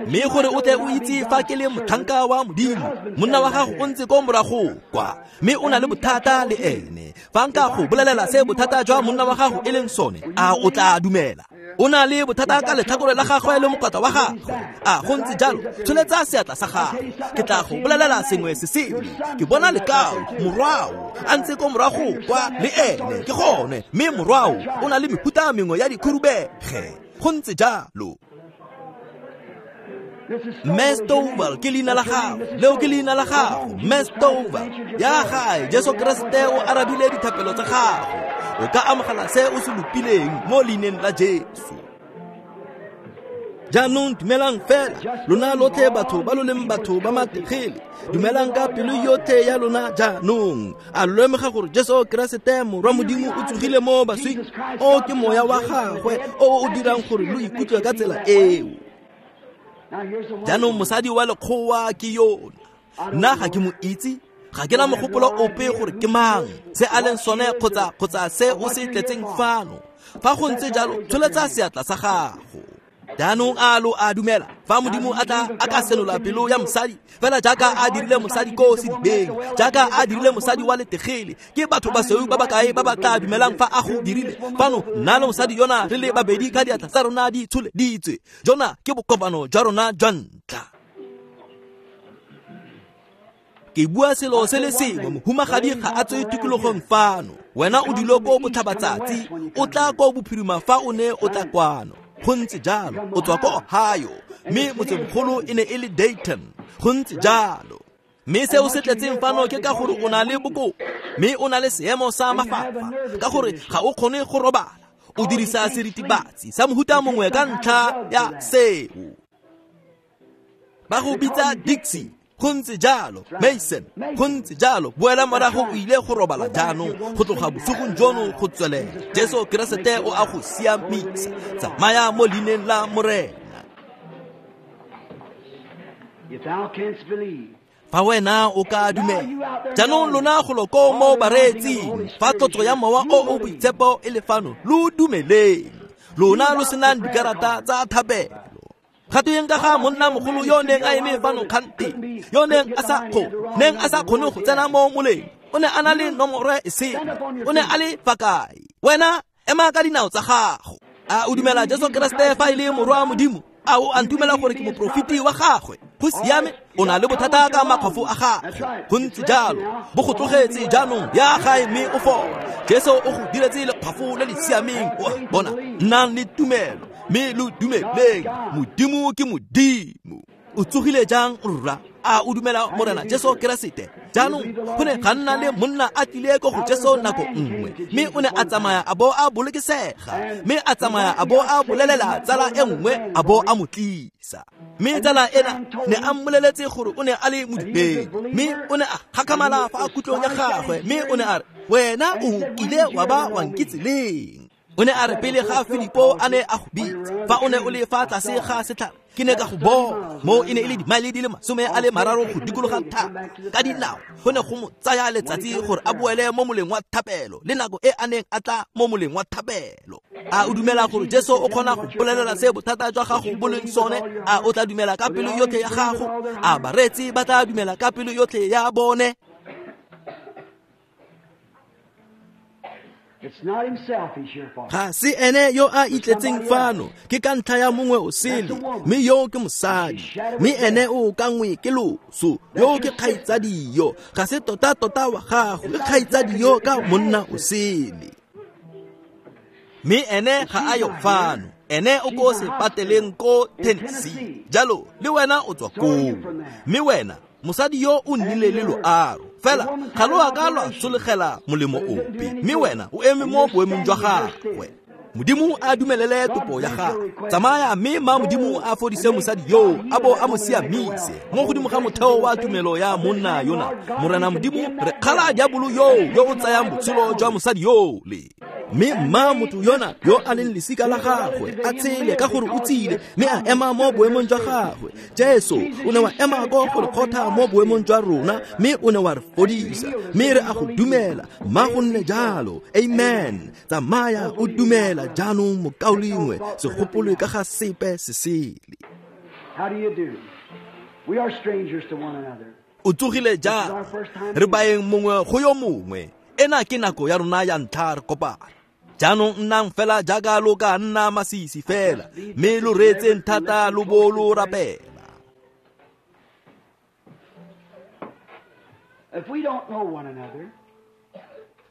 Speaker 2: Mme gore o tle o itse fa ke le motlhanka wa Modimo, monna wa gago o ntse ko morago kwa, mme o na le bothata le ene. Fa nka go bolelela se bothata jwa monna wa gago e leng sone, a o tla dumela? O na le bothata ka letlhakore la gagwe le mokotla wa gagwe. A go ntse jalo? Tsholetsa seatla sa gago. Ke tla go bolelela sengwe se sele. Ke bona lekao, morwao a ntse ko morago kwa le ene. Ke gone, mme morwao o na le mehuta mengwe ya dikhurubege. Go ntse jalo. Mme Stovall ke leina la gago. Leo ke leina la gago, Mme Stovall. Ya gae, Jesu Kriste o arabile dithapelo tsa gago. O ka amogela se o se lopileng mo leineng la Jesu. Jaanong dumelang fela, lona lotlhe batho ba lo leng batho ba mategele. Dumelang ka pelo yotlhe ya lona jaanong. A lo lemoga gore Jesu Keresete Morwa Modimo o tsogile mo baswing? O ke moya wa gagwe o o dirang gore lo ikutlwe ka tsela eo. Jaanong mosadi wa lekgowa ke yona. Nna ga ke mo itse, ga ke na mogopolo ope gore ke mang, se a leng sone kgotsa se o se tletseng fano. Fa go ntse jalo, tsholetsa seatla sa gago. Jaanong a lo a dumela fa Modimo a tla a ka senola pelo ya mosadi fela jaaka a dirile mosadi ko sedibeng, jaaka a dirile mosadi wa letegele. Ke batho ba basweu ba bakae ba ba tla dumelang fa a go dirile fano? Nna le mosadi yona re le babedi ka diatla tsa rona di tsholeditswe. Jona ke bokopano jwa rona jwa ntlha. Ke bua selo se le sengwe, mohumagadi ga a tswe tikologong fano. Wena o dule ko botlhabatsatsi, o tla ko bophirima fa o ne o tla kwano. Go ntse jalo, o tswa ko Ohio, mme motsemogolo e ne e le Dayton. Go ntse jalo. Mme seo se tletseng fano ke ka gore o na le boko, mme o na le seemo sa mafafa, ka gore ga o kgone go robala. O dirisa seritibatsi sa mohuta mongwe ka ntlha ya seo. Ba go bitsa Dixie. Go ntse jalo, Mason. Go ntse jalo. Boela morago o ile go robala jaanong, go tloga bosigong jono go tswelela. Jesu Keresete o a go siamisa. Tsamaya mo leineng la Morena. Fa wena o ka dumela. Jaanong lona golo ko mo bareetsing, fa tlotso ya mowa o o boitshepo e le fano, lo dumeleng. Lona lo senang dikarata tsa thapelo. Ga tweng ka ga monna mogolo yo neng a eme fano kgante, yo neng a sa kgone go tsena mo moleng? O ne a na le nomoro e sele. O ne a le fa kae? Wena ema ka dinao tsa gago. A o dumela Jesu Keresete fa e le morwa Modimo? A o a ntumela gore ke moprofeti wa gagwe? Go siame, o na le bothata ka makgwafo a gagwe. Go ntse jalo, bo go tlogetse jaanong, ya gae mme o fole. Jesu o go diretse lekgwafo le le siameng. O a bona, nnang le tumelo mme lo dumeleng. Modimo ke Modimo. O tsogile jang rra? A o dumela Morena Jesu Keresete? Jaanong go ne ga nna le monna a tlile ko go Jesu nako nngwe, mme o ne a tsamaya a bo a bolokesega, mme a tsamaya a bo a bolelela tsala e nngwe a bo a mo tlisa. Mme tsala ena ne a mmoleletse gore o ne a le modumedi, mme o ne a gakgamala fa kutlong ya gagwe, mme o ne a re, wena o kile wa ba wa nkitse leng? O ne a re pele ga Filipo a ne a go bitsa, fa o ne o le fa tlase ga setlhare, ke ne ka go bona. Mo e ne e le dimaele di le 30 go dikologa thaba ka dinao. Go ne go mo tsaya letsatsi gore a boele mo moleng wa thapelo le nako e a neng a tla mo moleng wa thapelo. A o dumela gore Jesu o kgona go bolelela se bothata jwa gago bo leng sone? A o tla dumela ka pelo yotlhe ya gago? A bareetsi ba tla dumela ka pelo yotlhe ya bone? Ga se ene yo a itletseng fano, ke ka ntlha ya mongwe o sele, mme yo ke mosadi, mme ene o kangwe ke loso, yo ke kgaitsadi yo, ga se tota-tota wa gago, ke kgaitsadi yo ka monna o sele. Mme ene ga a yo fano, ene o ko sepateleng ko Tennessee, jalo le wena o tswa koo. Mme wena mosadi yo o nnile le loaro, fela ga lo a ka lwa tsholegela molemo ope, mme wena o eme mo boemong jwa gagwe. Modimo a dumelele topo ya gagwe. Tsamaya mme ma Modimo a fodise mosadi yo, a bo a mo siamise mo godimo ga motheo wa tumelo ya monna yona. Morena Modimo, re kgala diabolo yo o tsayang botshelo jwa mosadi yole. Mme mma motho yona yo a leng lesika la gagwe a tshele ka gore o tsile, mme a ema mo boemong jwa gagwe. Jesu o ne wa ema ko go lekgotha mo boemong jwa rona, mme o ne wa re fodisa, mme re a go dumela. Mma go nne jalo. Amen. Tsamaya o dumela jaanong, mokaulengwe, se gopolwe ka ga sepe se sele. O tsogile jang? Re baeng mongwe go yo mongwe. Ena ke nako ya rona ya ntlha re kopana. Jaanong nnang fela jaaka lo ka nna masisi fela, mme lo reetseng thata lo bo lo rapela.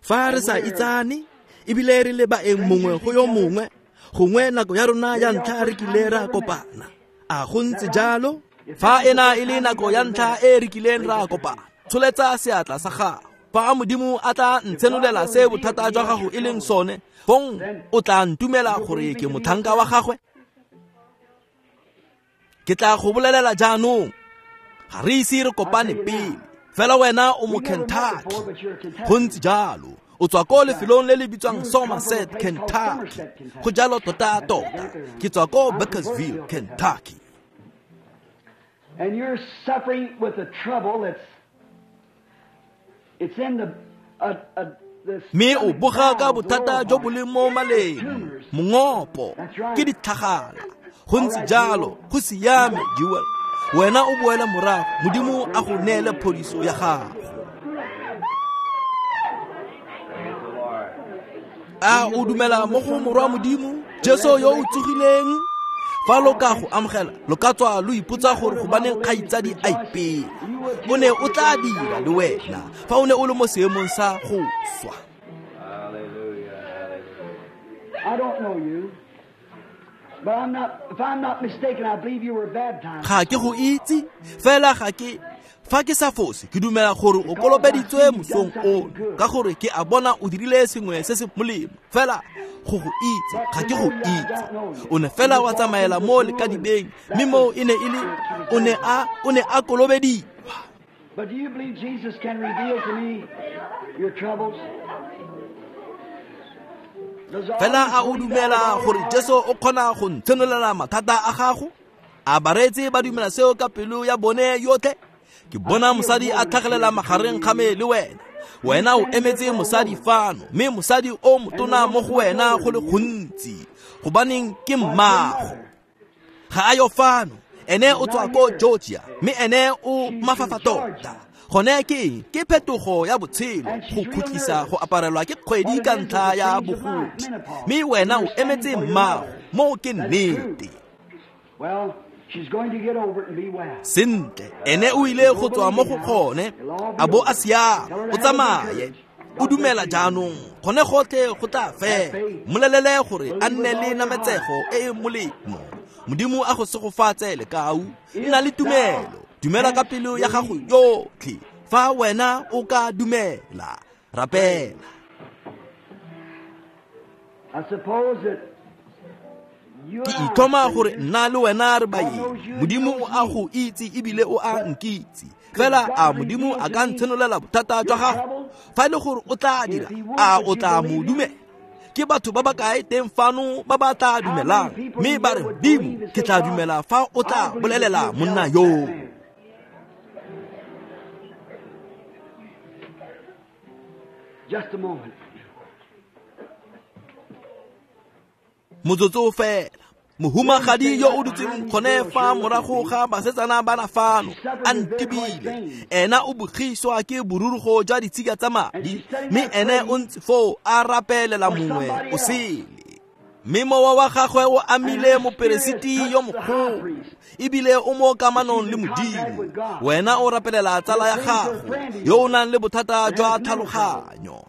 Speaker 2: Fa re sa itsane ebile re le baeng mongwe go yo mongwe, gongwe nako ya rona ya ntlha re kile ra kopana. A go ntse jalo? Fa ena e le nako ya ntlha e re kileng ra kopana, tsholetsa seatla sa gago. Fa Modimo a tla ntshenolela se bothata jwa gago e leng sone, fong o tla ntumela gore ke motlhanka wa gagwe. Ke tla go bolelela jaanong, ga re ise re kopane pele, fela wena o mo Kentucky. Go ntse jalo. O tswa ko lefelong le le bitswang Somerset, Kentucky. Go jalo tota-tota. Ke tswa ko Bakersville, Kentucky.
Speaker 1: And you're suffering with a trouble that's it's in the
Speaker 2: Mme o boga ka bothata jo bo leng mo maleng, mongopo, ke ditlhagala. Go ntse jalo, go siame, Jewel. Wena o boele morago, Modimo a go neele phodiso ya gago. A o dumela mo go Morwa Modimo, Jesu yo o tsogileng? Fa lo ka go amogela, lo ka tswa lo ipotsa gore gobaneng kgaitsadi a ipela. O ne o tla dira le wena fa o ne o le mo seemong sa go swa. Ga ke go itse, fela ga ke fa ke sa fose, ke dumela gore o kolobeditswe mosong ono, ka gore ke a bona o dirile sengwe se se molemo. Fela go go itse, ga ke go itse. O ne fela wa tsamaela mo lekadibeng, mme mo e ne e le o ne a kolobediwa.
Speaker 1: But do you believe Jesus can reveal to me your troubles?
Speaker 2: Fela a o dumela gore Jesu o kgona go ntshenolela mathata a gago? A bareetsi ba dumela seo ka pelo ya bone yotlhe? Ke bona mosadi a tlhagelela magareng ga me le wena. Wena o emetse mosadi fano, mme mosadi o motona mo go wena go le gontsi, gobaneng ke mmago. Ga a yo fano, ene o tswa ko Georgia, mme ene o mafafa tota. Gone ke eng? Ke phetogo ya botshelo, go khutlisa go aparelwa ke kgwedi ka ntlha ya bogodi. Mme wena o emetse mmago, mo ke nnete. Sentle, ene o ile go tswa mo go gone, a bo a siama, o tsamaye. O dumela jaanong, gone gotlhe go tla fela. Mmolelele gore a nne le nametsego e e molemo. Modimo a go segofatse lekau, nna le tumelo. Dumela ka pelo ya gago yotlhe. Fa wena o ka dumela, rapela. Ke itlhoma gore nna le wena re baeng. Modimo o a go itse ebile o a nkitse. Fela a Modimo a ka ntshenolela bothata jwa gago? Fa e le gore o tla dira, a o tla mo dumela? Ke batho ba ba kae teng fano ba ba tla dumelang, mme ba re, Modimo, ke tla dumela fa o tla bolelela monna yo.
Speaker 1: Just a moment.
Speaker 2: Motsotso fela. Mohumagadi yo o dutseng gone fa morago ga basetsana bana fano a ntibile. Ena o bogiswa ke borurugo jwa ditshika tsa madi, mme ene o ntse foo a rapelela mongwe o sele. Mme mowa wa gagwe o amile moperesiti yo mogolo, ebile o mo kamanong le Modimo. Wena o rapelela tsala ya gago yo o nang le bothata jwa tlhaloganyo.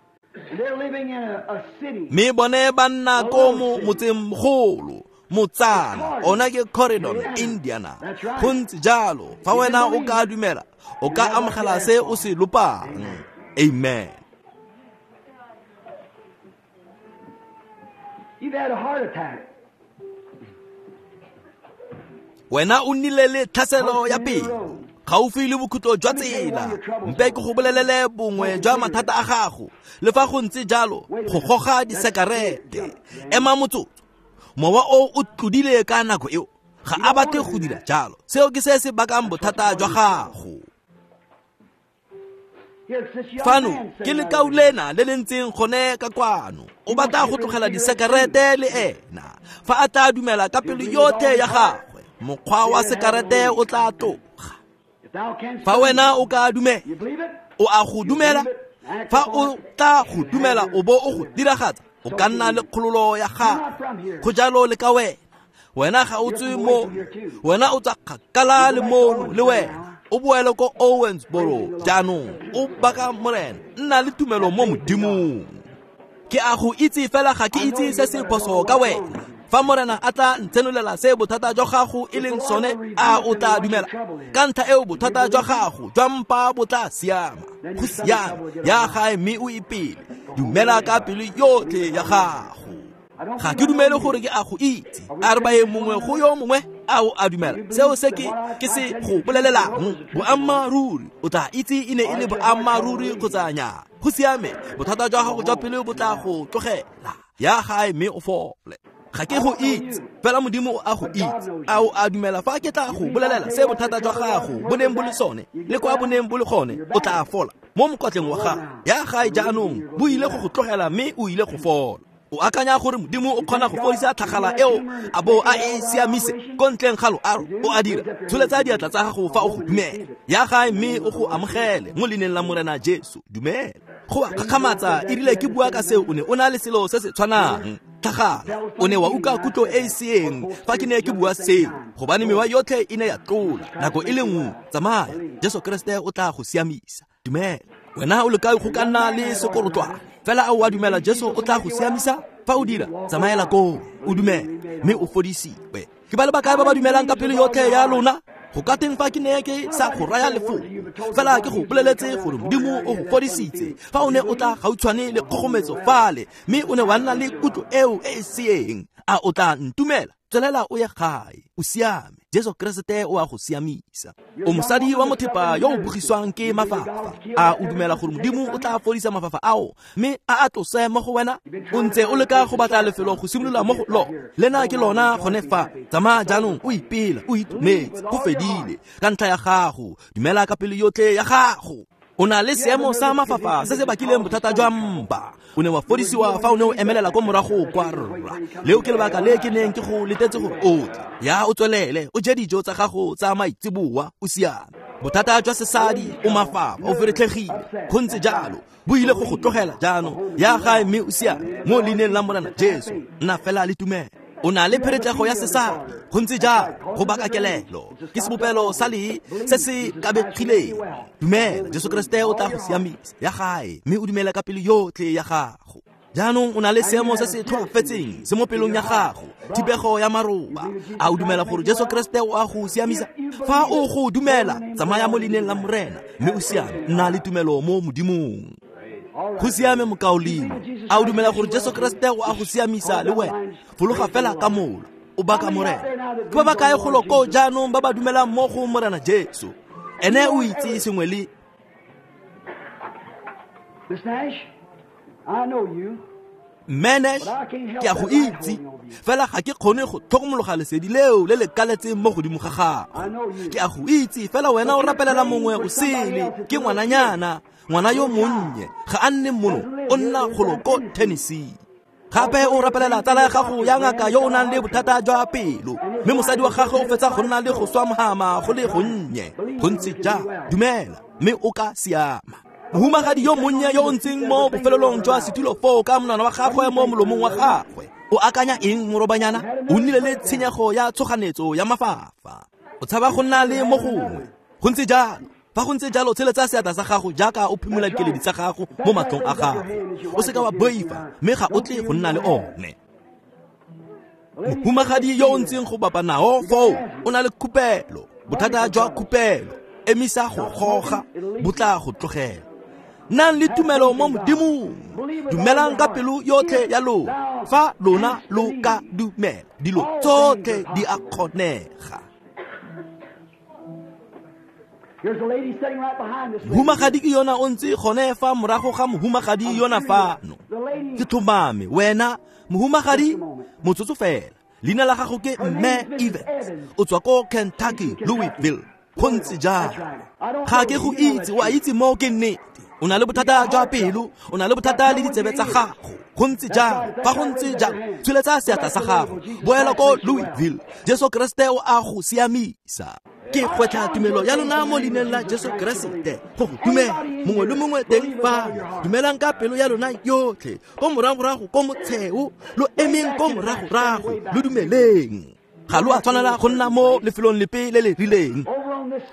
Speaker 2: Mme bone ba nna ko motsengmogolo, motsana, ona ke Corydon, Indiana. Go ntse jalo, fa wena o ka dumela, o ka amogela se o se lopang. Amen.
Speaker 1: You've had a heart attack.
Speaker 2: Wena o nnile le tlhaselo ya pelo gaufi le bokhutlo jwa tsela. Mpe ke go bolelele bongwe jwa mathata a gago. Le fa go ntse jalo, go goga disekarete. Ema motsotso. Mowa o o tlodile ka nako eo, ga a batle go dira jalo. Seo ke se se bakang bothata jwa gago. Fano ke lekau lena le le ntseng gone ka kwano. O batla go tlogela disekarete le ena. Fa a tla dumela ka pelo yotlhe ya gagwe, mokgwa wa sekarete o tla tloga. Fa wena o ka dumela, o a go dumela. Fa o tla go dumela o bo o go diragatsa, o ka nna le kgololo ya gago. Go jalo le ka wena. Wena ga o tswe mo, wena o tswa kgakala le mono le wena. O boele ko Owensboro jaanong, o baka Morena. Nna le tumelo mo Modimong. Ke a go itse fela ga ke itse se se phoso ka wena. Fa Morena a tla ntsenolela se bothata jwa gago e leng sone, a o tla dumela? Ka ntlha eo bothata jwa gago jwa mpa bo tla siama. Go siame, ya gae mme o ipele. Dumela ka pelo yotlhe ya gago. Ga ke dumele gore ke a go itse. A re baeng mongwe go yo mongwe, a o a dumela seo se ke se go bolelelang? Boammaaruri, o tla itse e ne e le boammaaruri kgotsa nnyaa. Go siame, bothata jwa gago jwa pelo bo tla go tlogela. Ya gae mme o fole. Ga ke go itse, fela Modimo o a go itse. A o a dumela fa ke tla go bolelela se bothata jwa gago bo neng bo le sone, le kwa bo neng bo le gone, o tla fola mo mokotleng wa gago. Ya gae jaanong, bo ile go go tlogela mme o ile go fola. O akanya gore Modimo o kgona go fodisa tlhagala eo a bo a e siamise ko ntleng ga loaro? O a dira. Tsholetsa diatla tsa gago fa o go dumela. Ya gae mme o go amogele mo leineng la Morena Jesu. Dumela. Go a kgakgamatsa, e rile ke bua ka seo, o ne o na le selo se se tshwanang. Tlhagala, o ne wa utlwa kutlo e e seeng fa ke ne ke bua seo, gobane mewa yotlhe e ne ya tlola nako e le nngwe. Tsamaya, Jesu Kreste o tla go siamisa. Dumela. Wena o leka go ka nna le sekorotlwane, fela a o a dumela Jesu o tla go siamisa? Fa o dira, tsamaela koo, o dumele mme o fodisiwe. Ke ba le bakae ba ba dumelang ka pelo yotlhe ya lona? Go ka teng fa ke ne ke sa go raya lefoko, fela ke go boleletse gore Modimo o go fodisitse. Fa o ne o tla gautshwane le kgogometso fale, mme o ne wa nna le kutlo eo e e seeng, a o tla ntumela? Tswelela o ye gae, o siame. Jesu Kreste o a go siamisa. O mosadi wa mothepa yo o bogiswang ke mafafa. A o dumela gore Modimo o tla fodisa mafafa ao mme a a tlose mo go wena? O ntse o leka go batla lefelo go simolola mo go lo. Lena ke lona gone fa. Tsamaya jaanong o ipela, o itumetse, go fedile ka ntlha ya gago. Dumela ka pelo yotlhe ya gago. O na le seemo sa mafafa se se bakileng bothata jwa mpa. O ne wa fodisiwa fa o ne o emelela ko morago kwa rra. Leo ke lebaka le ke neng ke go letetse gore o tle. Ya o tswelele, o je dijo tsa gago tsa maitseboa, o siame. Bothata jwa sesadi, o mafafa, o feretlhegile. Go ntse jalo, bo ile go go tlogela jaanong. Ya gae mme o siame mo leineng la Morena Jesu. Nna fela le tumelo. O na le pheretlego ya sesadi, go ntse jalo, go baka kelelo. Ke sebopelo sa lee se se kabegileng. Dumela, Jesu Kreste o tla go siamisa. Ya gae mme o dumele ka pelo yotlhe ya gago. Jaanong o na le seemo se se tlhoafetseng se mo pelong ya gago, thibego ya maroba. A o dumela gore Jesu Kreste o a go siamisa? Fa o go dumela, tsamaya mo leineng la Morena mme o siame. Nna le tumelo mo Modimong. Go siame mokaulengwe. A o dumela gore Jesu Kreste o a go siamisa le wena? Fologa fela ka mola, o baka Morena. Ke ba ba kae golo koo jaanong ba ba dumelang mo go Morena Jesu? Ene o itse sengwe le.
Speaker 1: Miss Nash, I know you.
Speaker 2: Menash, ke a go itse, fela ga ke kgone go tlhokomologa lesedi leo le le kaletseng mo godimo ga gago. Ke a go itse, fela wena o rapelela mongwe o sele, ke ngwananyana, ngwana yo monnye, ga a nne mono, o nna golo ko Tennessee. Gape o rapelela tsala ya gago ya ngaka yo o nang le bothata jwa pelo, mme mosadi wa gagwe o fetsa go nna le go swa mohama go le gonnye. Go ntse jang? Dumela, mme o ka siama. Mohumagadi yo monnye yo o ntseng mo bofelelong jwa setulo foo ka monwana wa gagwe mo molomong wa gagwe, o akanya eng morobanyana? O nnile le tshenyego ya tshoganetso ya mafafa. O tshaba go nna le mo gongwe. Go ntse jalo. Fa go ntse jalo, tsheletsa seatla sa gago jaaka o phimola dikeledi tsa gago mo matlong a gago. O seka wa boifa, mme ga o tle go nna le one. Mohumagadi yo o ntseng go bapa nao foo o na le khupelo, bothata jwa khupelo. Emisa go goga, bo tla go tlogela. Nang le tumelo mo Modimong, dumelang ka pelo yotlhe ya lona. Fa lona lo ka dumela, dilo tsotlhe di a kgonega. Mohumagadi ke yona o ntse gone fa morago ga mohumagadi yona fano. Ke tlhomame wena mohumagadi, motsotso fela. Leina la gago ke Mme Evans, o tswa ko Kentucky, Louisville. Go ntse jalo. Ga ke go itse, o a itse mo ke nnete. O na le bothata jwa pelo, o na le bothata le ditsebe tsa gago. Go ntse jalo. Fa go ntse jalo, tsholetsa seatla sa gago, boela ko Louisville. Jesu Kreste o a go siamisa. Ke gwetlha tumelo ya lona mo leineng la Jesu Keresete go go dumela. Mongwe le mongwe teng fano, dumelang ka pelo ya lona yotlhe. Ko moragorago ko motsheo, lo emeng ko moragorago, lo dumeleng. Ga lo a tshwanela go nna mo lefelong lepe le le rileng.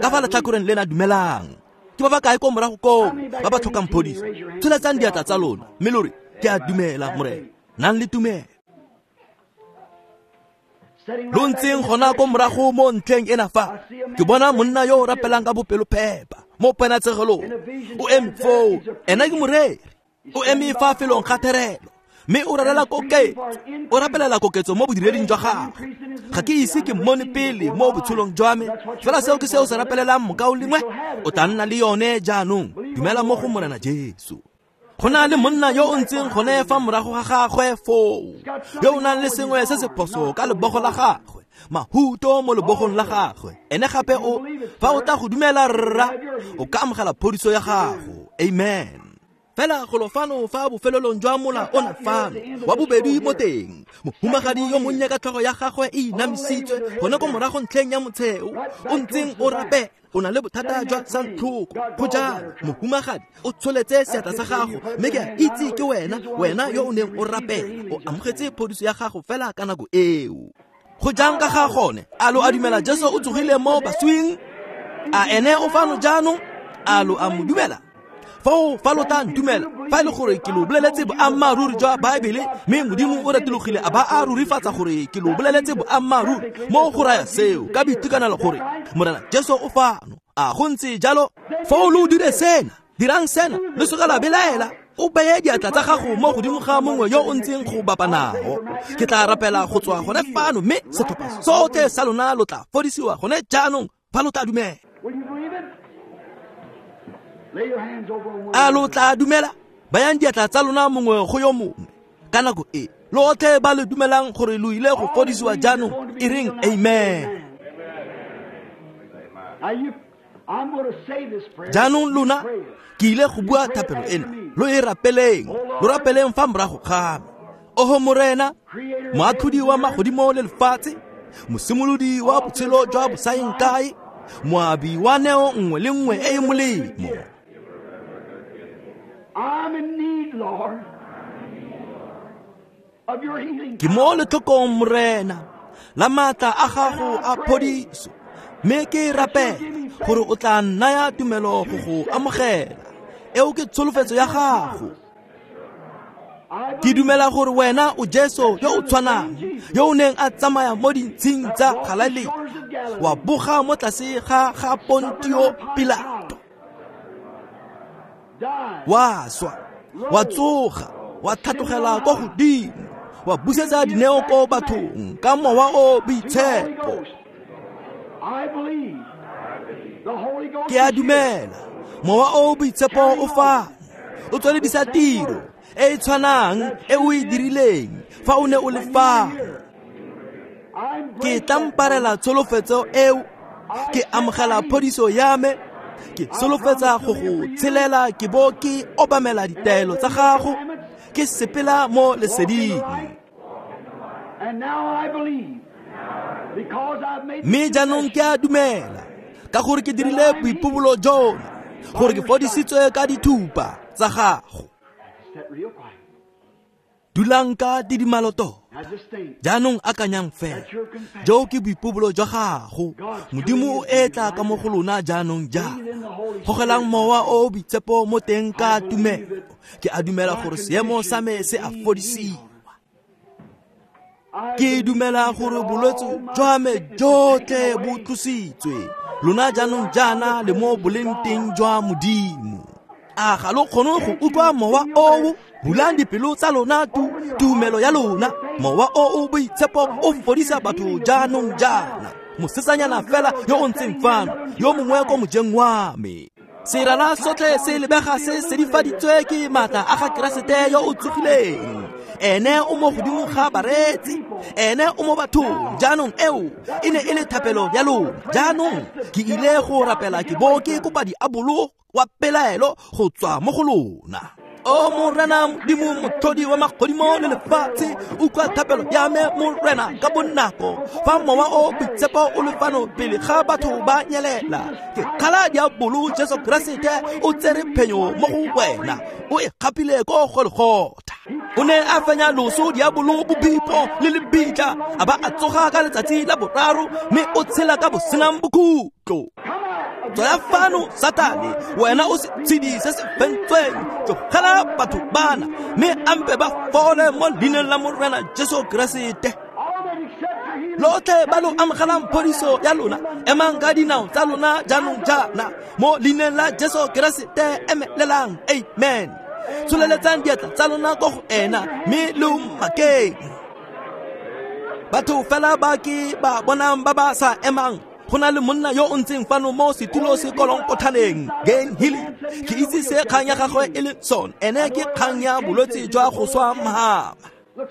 Speaker 2: Ka fa letlhakoreng lena dumelang. Ke ba ba kae ko morago koo ba ba tlhokang phodiso? Tsholetsang diatla tsa lona mme lo re, ke a dumela Morena. Nang le tumelo. Lo ntseng gona ko morago mo ntlheng ena fa, ke bona monna yo o rapelang ka bopelophepa mo ponatshegelong. O eme foo, ena ke moreri. O eme fa felong ga therelo, mme o rerela koketso. O rapelela koketso mo bodireding jwa gagwe. Ga ke ise ke mmone pele mo botshelong jwa me, fela seo ke seo se rapelelang mokaulengwe. O tla nna le yone jaanong. Dumela mo go Morena Jesu. Go na le monna yo o ntseng gone fa morago ga gagwe foo, yo o nang le sengwe se se phoso ka lebogo la gagwe, mahuto mo lebogong la gagwe. Ene gape o, fa o tla go dumela rra, o ka amogela phodiso ya gago. Amen. Fela golo fano fa bofelelong jwa mola ona fano, wa bobedi mo teng, mohumagadi yo monnye ka tlhogo ya gagwe e inamisitswe gone ko morago ntlheng ya motsheo, o ntseng o rapela. O na le bothata jwa santlhoko. Go jalo, mohumagadi, o tsholetse seatla sa gago, mme ke a itse ke wena, wena yo o neng o rapela. O amogetse phodiso ya gago fela ka nako eo. Go jang ka ga gone? A lo a dumela Jesu o tsogile mo baswing? A ene o fano jaanong? A lo a mo dumela? Foo fa lo tla ntumela, fa e le gore ke lo boleletse boammaaruri jwa Baebele, mme Modimo o retologile a ba a rurifatsa gore ke lo boleletse boammaaruri, mo go raya seo ka boitekanelo gore Morena Jesu o fano. A go ntse jalo? Foo lo dire sena, dirang sena, le seka la belaela. O beye diatla tsa gago mo godimo ga mongwe yo o ntseng go bapa nao. Ke tla rapela go tswa gone fano, mme setlhopha sotlhe sa lona lo tla fodisiwa gone jaanong fa lo tla dumela. A lo tla dumela? Bayang diatla tsa lona mongwe go yo mongwe. Ka nako e, lotlhe ba le dumelang gore lo ile go fodisiwa jaanong, e reng amen. Jaanong lona, ke ile go bua thapelo ena, lo e rapeleng, lo rapeleng fa morago ga me. Oho Morena, moatlhodi wa magodimo le lefatshe, mosimolodi wa botshelo jwa bosaeng kae, moabi wa neo nngwe le nngwe e e molemo. Ke mo letlhokong Morena la maatla a gago a phodiso, mme ke rapela gore o tla nnaya tumelo go go amogela. Eo ke tsholofetso ya gago. Ke dumela gore wena o Jesu yo o tshwanang, yo o neng a tsamaya mo dintshing tsa Galilea, wa boga mo tlase ga ga Pontio Pilato, wa swa, wa tsoga, wa tlhatlogela kwa godimo, wa busetsa dineo ko bathong ka mowa o boitshepo. Ke a dumela mowa o boitshepo o fano, o tsweledisa tiro e e tshwanang e o e dirileng fa o ne o le fano. Ke tlamparela tsholofetso eo, ke amogela phodiso ya me, ke solofetsa go go tshelela ke bo ke obamela ditaelo tsa gago, ke sepela mo leseding. Mme jaanong ke a dumela ka gore ke dirile boipobolo jono, gore ke fodisitswe ka dithupa tsa gago. Dulang ka didimalo tota. Jaanong akanyang fela, jo ke boipobolo jwa gago. Modimo o etla ka mo go lona jaanong jaana. Gogelang mowa o o boitshepo mo teng ka tumelo. Ke a dumela gore seemo sa me se a fodisiwa. Ke dumela gore bolwetse jwa me jotlhe bo tlositswe. Lona jaanong jaana le mo boleng teng jwa Modimo. A ga lo kgone go utlwa mowa oo? Bulang dipelo tsa lona tumelo ya lona. Mowa o o boitshepo o fodisa batho jaanong jaana. Mosetsanyana fela yo o ntseng fano, yo mongwe ko mojeng wa me. Serala sotlhe se lebega se sedifaditswe ke maatla a ga Keresete yo o tsogileng. Ene o mo godimo ga bareetsi, ene o mo bathong. Jaanong eo e ne e le thapelo ya lona. Jaanong ke ile go rapela ke bo ke kopa diabolo wa pelaelo go tswa mo go lona. O Morena Modimo motlhodi wa magodimo le lefatshe, utlwa thapelo ya me Morena ka bonako. Fa mowa o boitshepo o le fano pele ga batho ba nyelela, ke kgala diabolo Jesu Keresete o tsere phenyo mo go wena, o e gapile ko Golgotha. O ne a fenya loso, diabolo, bobipo le lebitla, a ba a tsoga ka letsatsi la boraro, mme o tshela ka bosenang bokhutlo. Tswaya fano Satane, wena o setshedi se se fentsweng, tlogela batho bana mme ampe ba fole mo leineng la Morena Jesu Keresete. Lotlhe ba lo amogelang phodiso ya lona, emang ka dinao tsa lona jaanong jaana mo leineng la Jesu Keresete. Emelelang, amen. Tsholeletsang diatla tsa lona ko go ena mme lo mmakeng. Batho fela ba ke ba bonang ba ba sa emang, go na le monna yo o ntseng fano mo setulo se kolonkothaneng, Gain Healing. Ke itse se kgang ya gagwe e le sone, ene ke kgang ya bolwetse jwa go swa mhama.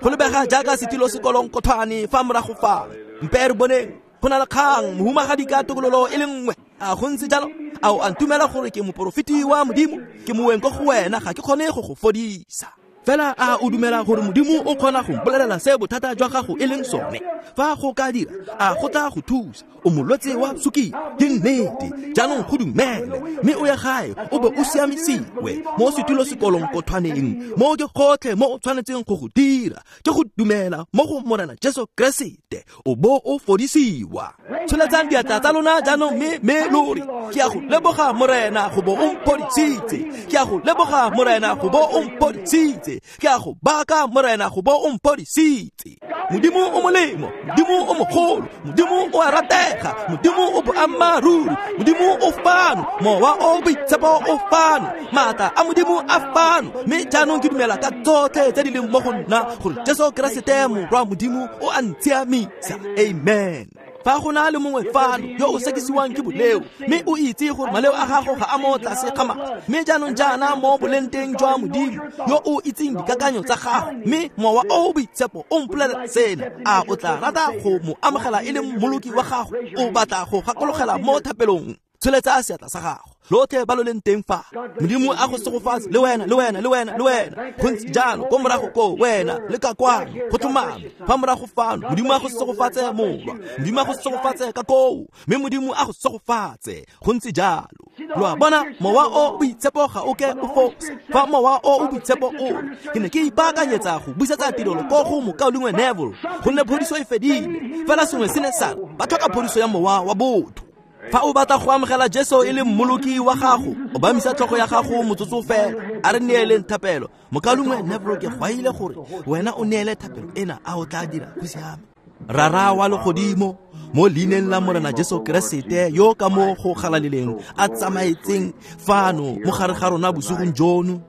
Speaker 2: Go lebega jaaka setulo se kolonkothane fa morago fa. Mpe re boneng, go na le kgang mohumagadi ka tokololo e le nngwe. A go ntse jalo? A o a ntumela gore ke moporofeti wa Modimo? Ke moeng ko go wena, ga ke kgone go go fodisa. Fela a o dumela gore Modimo o kgona go mpolelela se bothata jwa gago e leng sone? Fa go ka dira, a go tla go thusa? O molwetse wa sukiri, ke nnete. Jaanong go dumele, mme o ye gae o be o siamisiwe mo setulo sekolonkothwaneng. Mo ke gotlhe mo o tshwanetseng go go dira ke go dumela mo go Morena Jesu Keresete, o bo o fodisiwa. Tsholetsang diatla tsa lona jaanong mme lo re, ke a go leboga Morena go bo o mphodisitse. Ke a go leboga Morena go bo o mphodisitse. Ke a go baka Morena go bo o mphodisitse. Modimo o molemo, Modimo o mogolo, Modimo o a ratega, Modimo o boammaaruri, Modimo o fano, mowa o boitshepo o fano, maatla a Modimo a fano. Mme jaanong ke dumela ka tsotlhe tse di leng mo go nna gore Jesu Keresete morwa Modimo o a ntshiamisa. Amen. Fa go na le mongwe fano yo o sekisiwang ke boleo, mme o itse gore maleo a gago ga a mo tlase ga madi, mme jaanong jaana mo boleng teng jwa Modimo yo o itseng dikakanyo tsa gago, mme mowa o o boitshepo o mpolelela sena, a o tla rata go mo amogela e le mmoloki wa gago? O batla go gakologela mo thapelong? Tsholetsa seatla sa gago. Lotlhe ba lo leng teng fa, Modimo a go segofatse, le wena, le wena, le wena, le wena. Go ntse jalo ko morago ko wena le ka kwano, go tlhomame fa morago fano. Modimo a go segofatse morwa, Modimo a go segofatse ka koo, mme Modimo a go segofatse. Go ntse jalo. Lo a bona, mowa o boitshepo ga o ke o fosa. Fa mowa o o boitshepo o, ke ne ke ipaakanyetsa go busetsa tirelo ko go mokaulengwe Neville, gonne phodiso e fedile. Fela sengwe se ne sa ba tlhoka phodiso ya mowa wa botho. Fa o batla go amogela Jesu e le mmoloki wa gago, obamisa tlhogo ya gago motsotso fela. A re neeleng thapelo. Mokaulengwe Neville, ke gwaile gore wena o neele thapelo ena, a o tla dira? Go siame. Rara wa legodimo, mo leineng la Morena Jesu Keresete yo ka mo go galaleleng a tsamaetseng fano mo gare ga rona bosigong jono,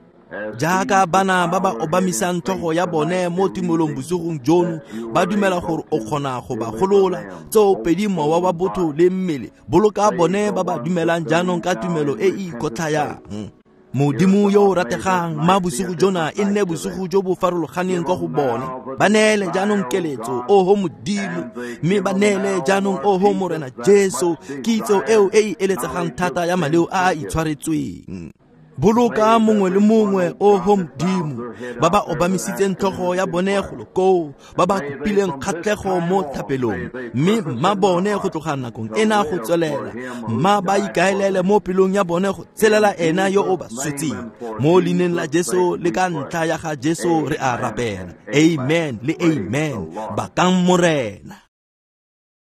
Speaker 2: jaaka bana ba ba obamisang tlhogo ya bone mo tumelong bosigong jono, ba dumela gore o kgona go ba golola tsoopedi mowa wa botho le mmele. Boloka bone ba ba dumelang jaanong ka tumelo e e ikotlhayang. Modimo yo o rategang, mma bosigo jona e nne bosigo jo bo farologaneng kwa go bone. Ba neele jaanong keletso, oho Modimo, mme ba neele jaanong, oho Morena Jesu, kitso eo e e eletsegang thata ya maleo a a itshwaretsweng. Boloka mongwe le mongwe, oho Modimo, ba ba obamisitseng tlhogo ya bone golo koo, ba ba kopileng kgatlhego mo thapelong, mme mma bone go tloga nakong ena go tswelela, mma ba ikaelele mo pelong ya bone go tshelela ena yo o ba swetseng. Mo leineng la Jesu le ka ntlha ya ga Jesu re a rapela. Amen le amen. Bakang Morena.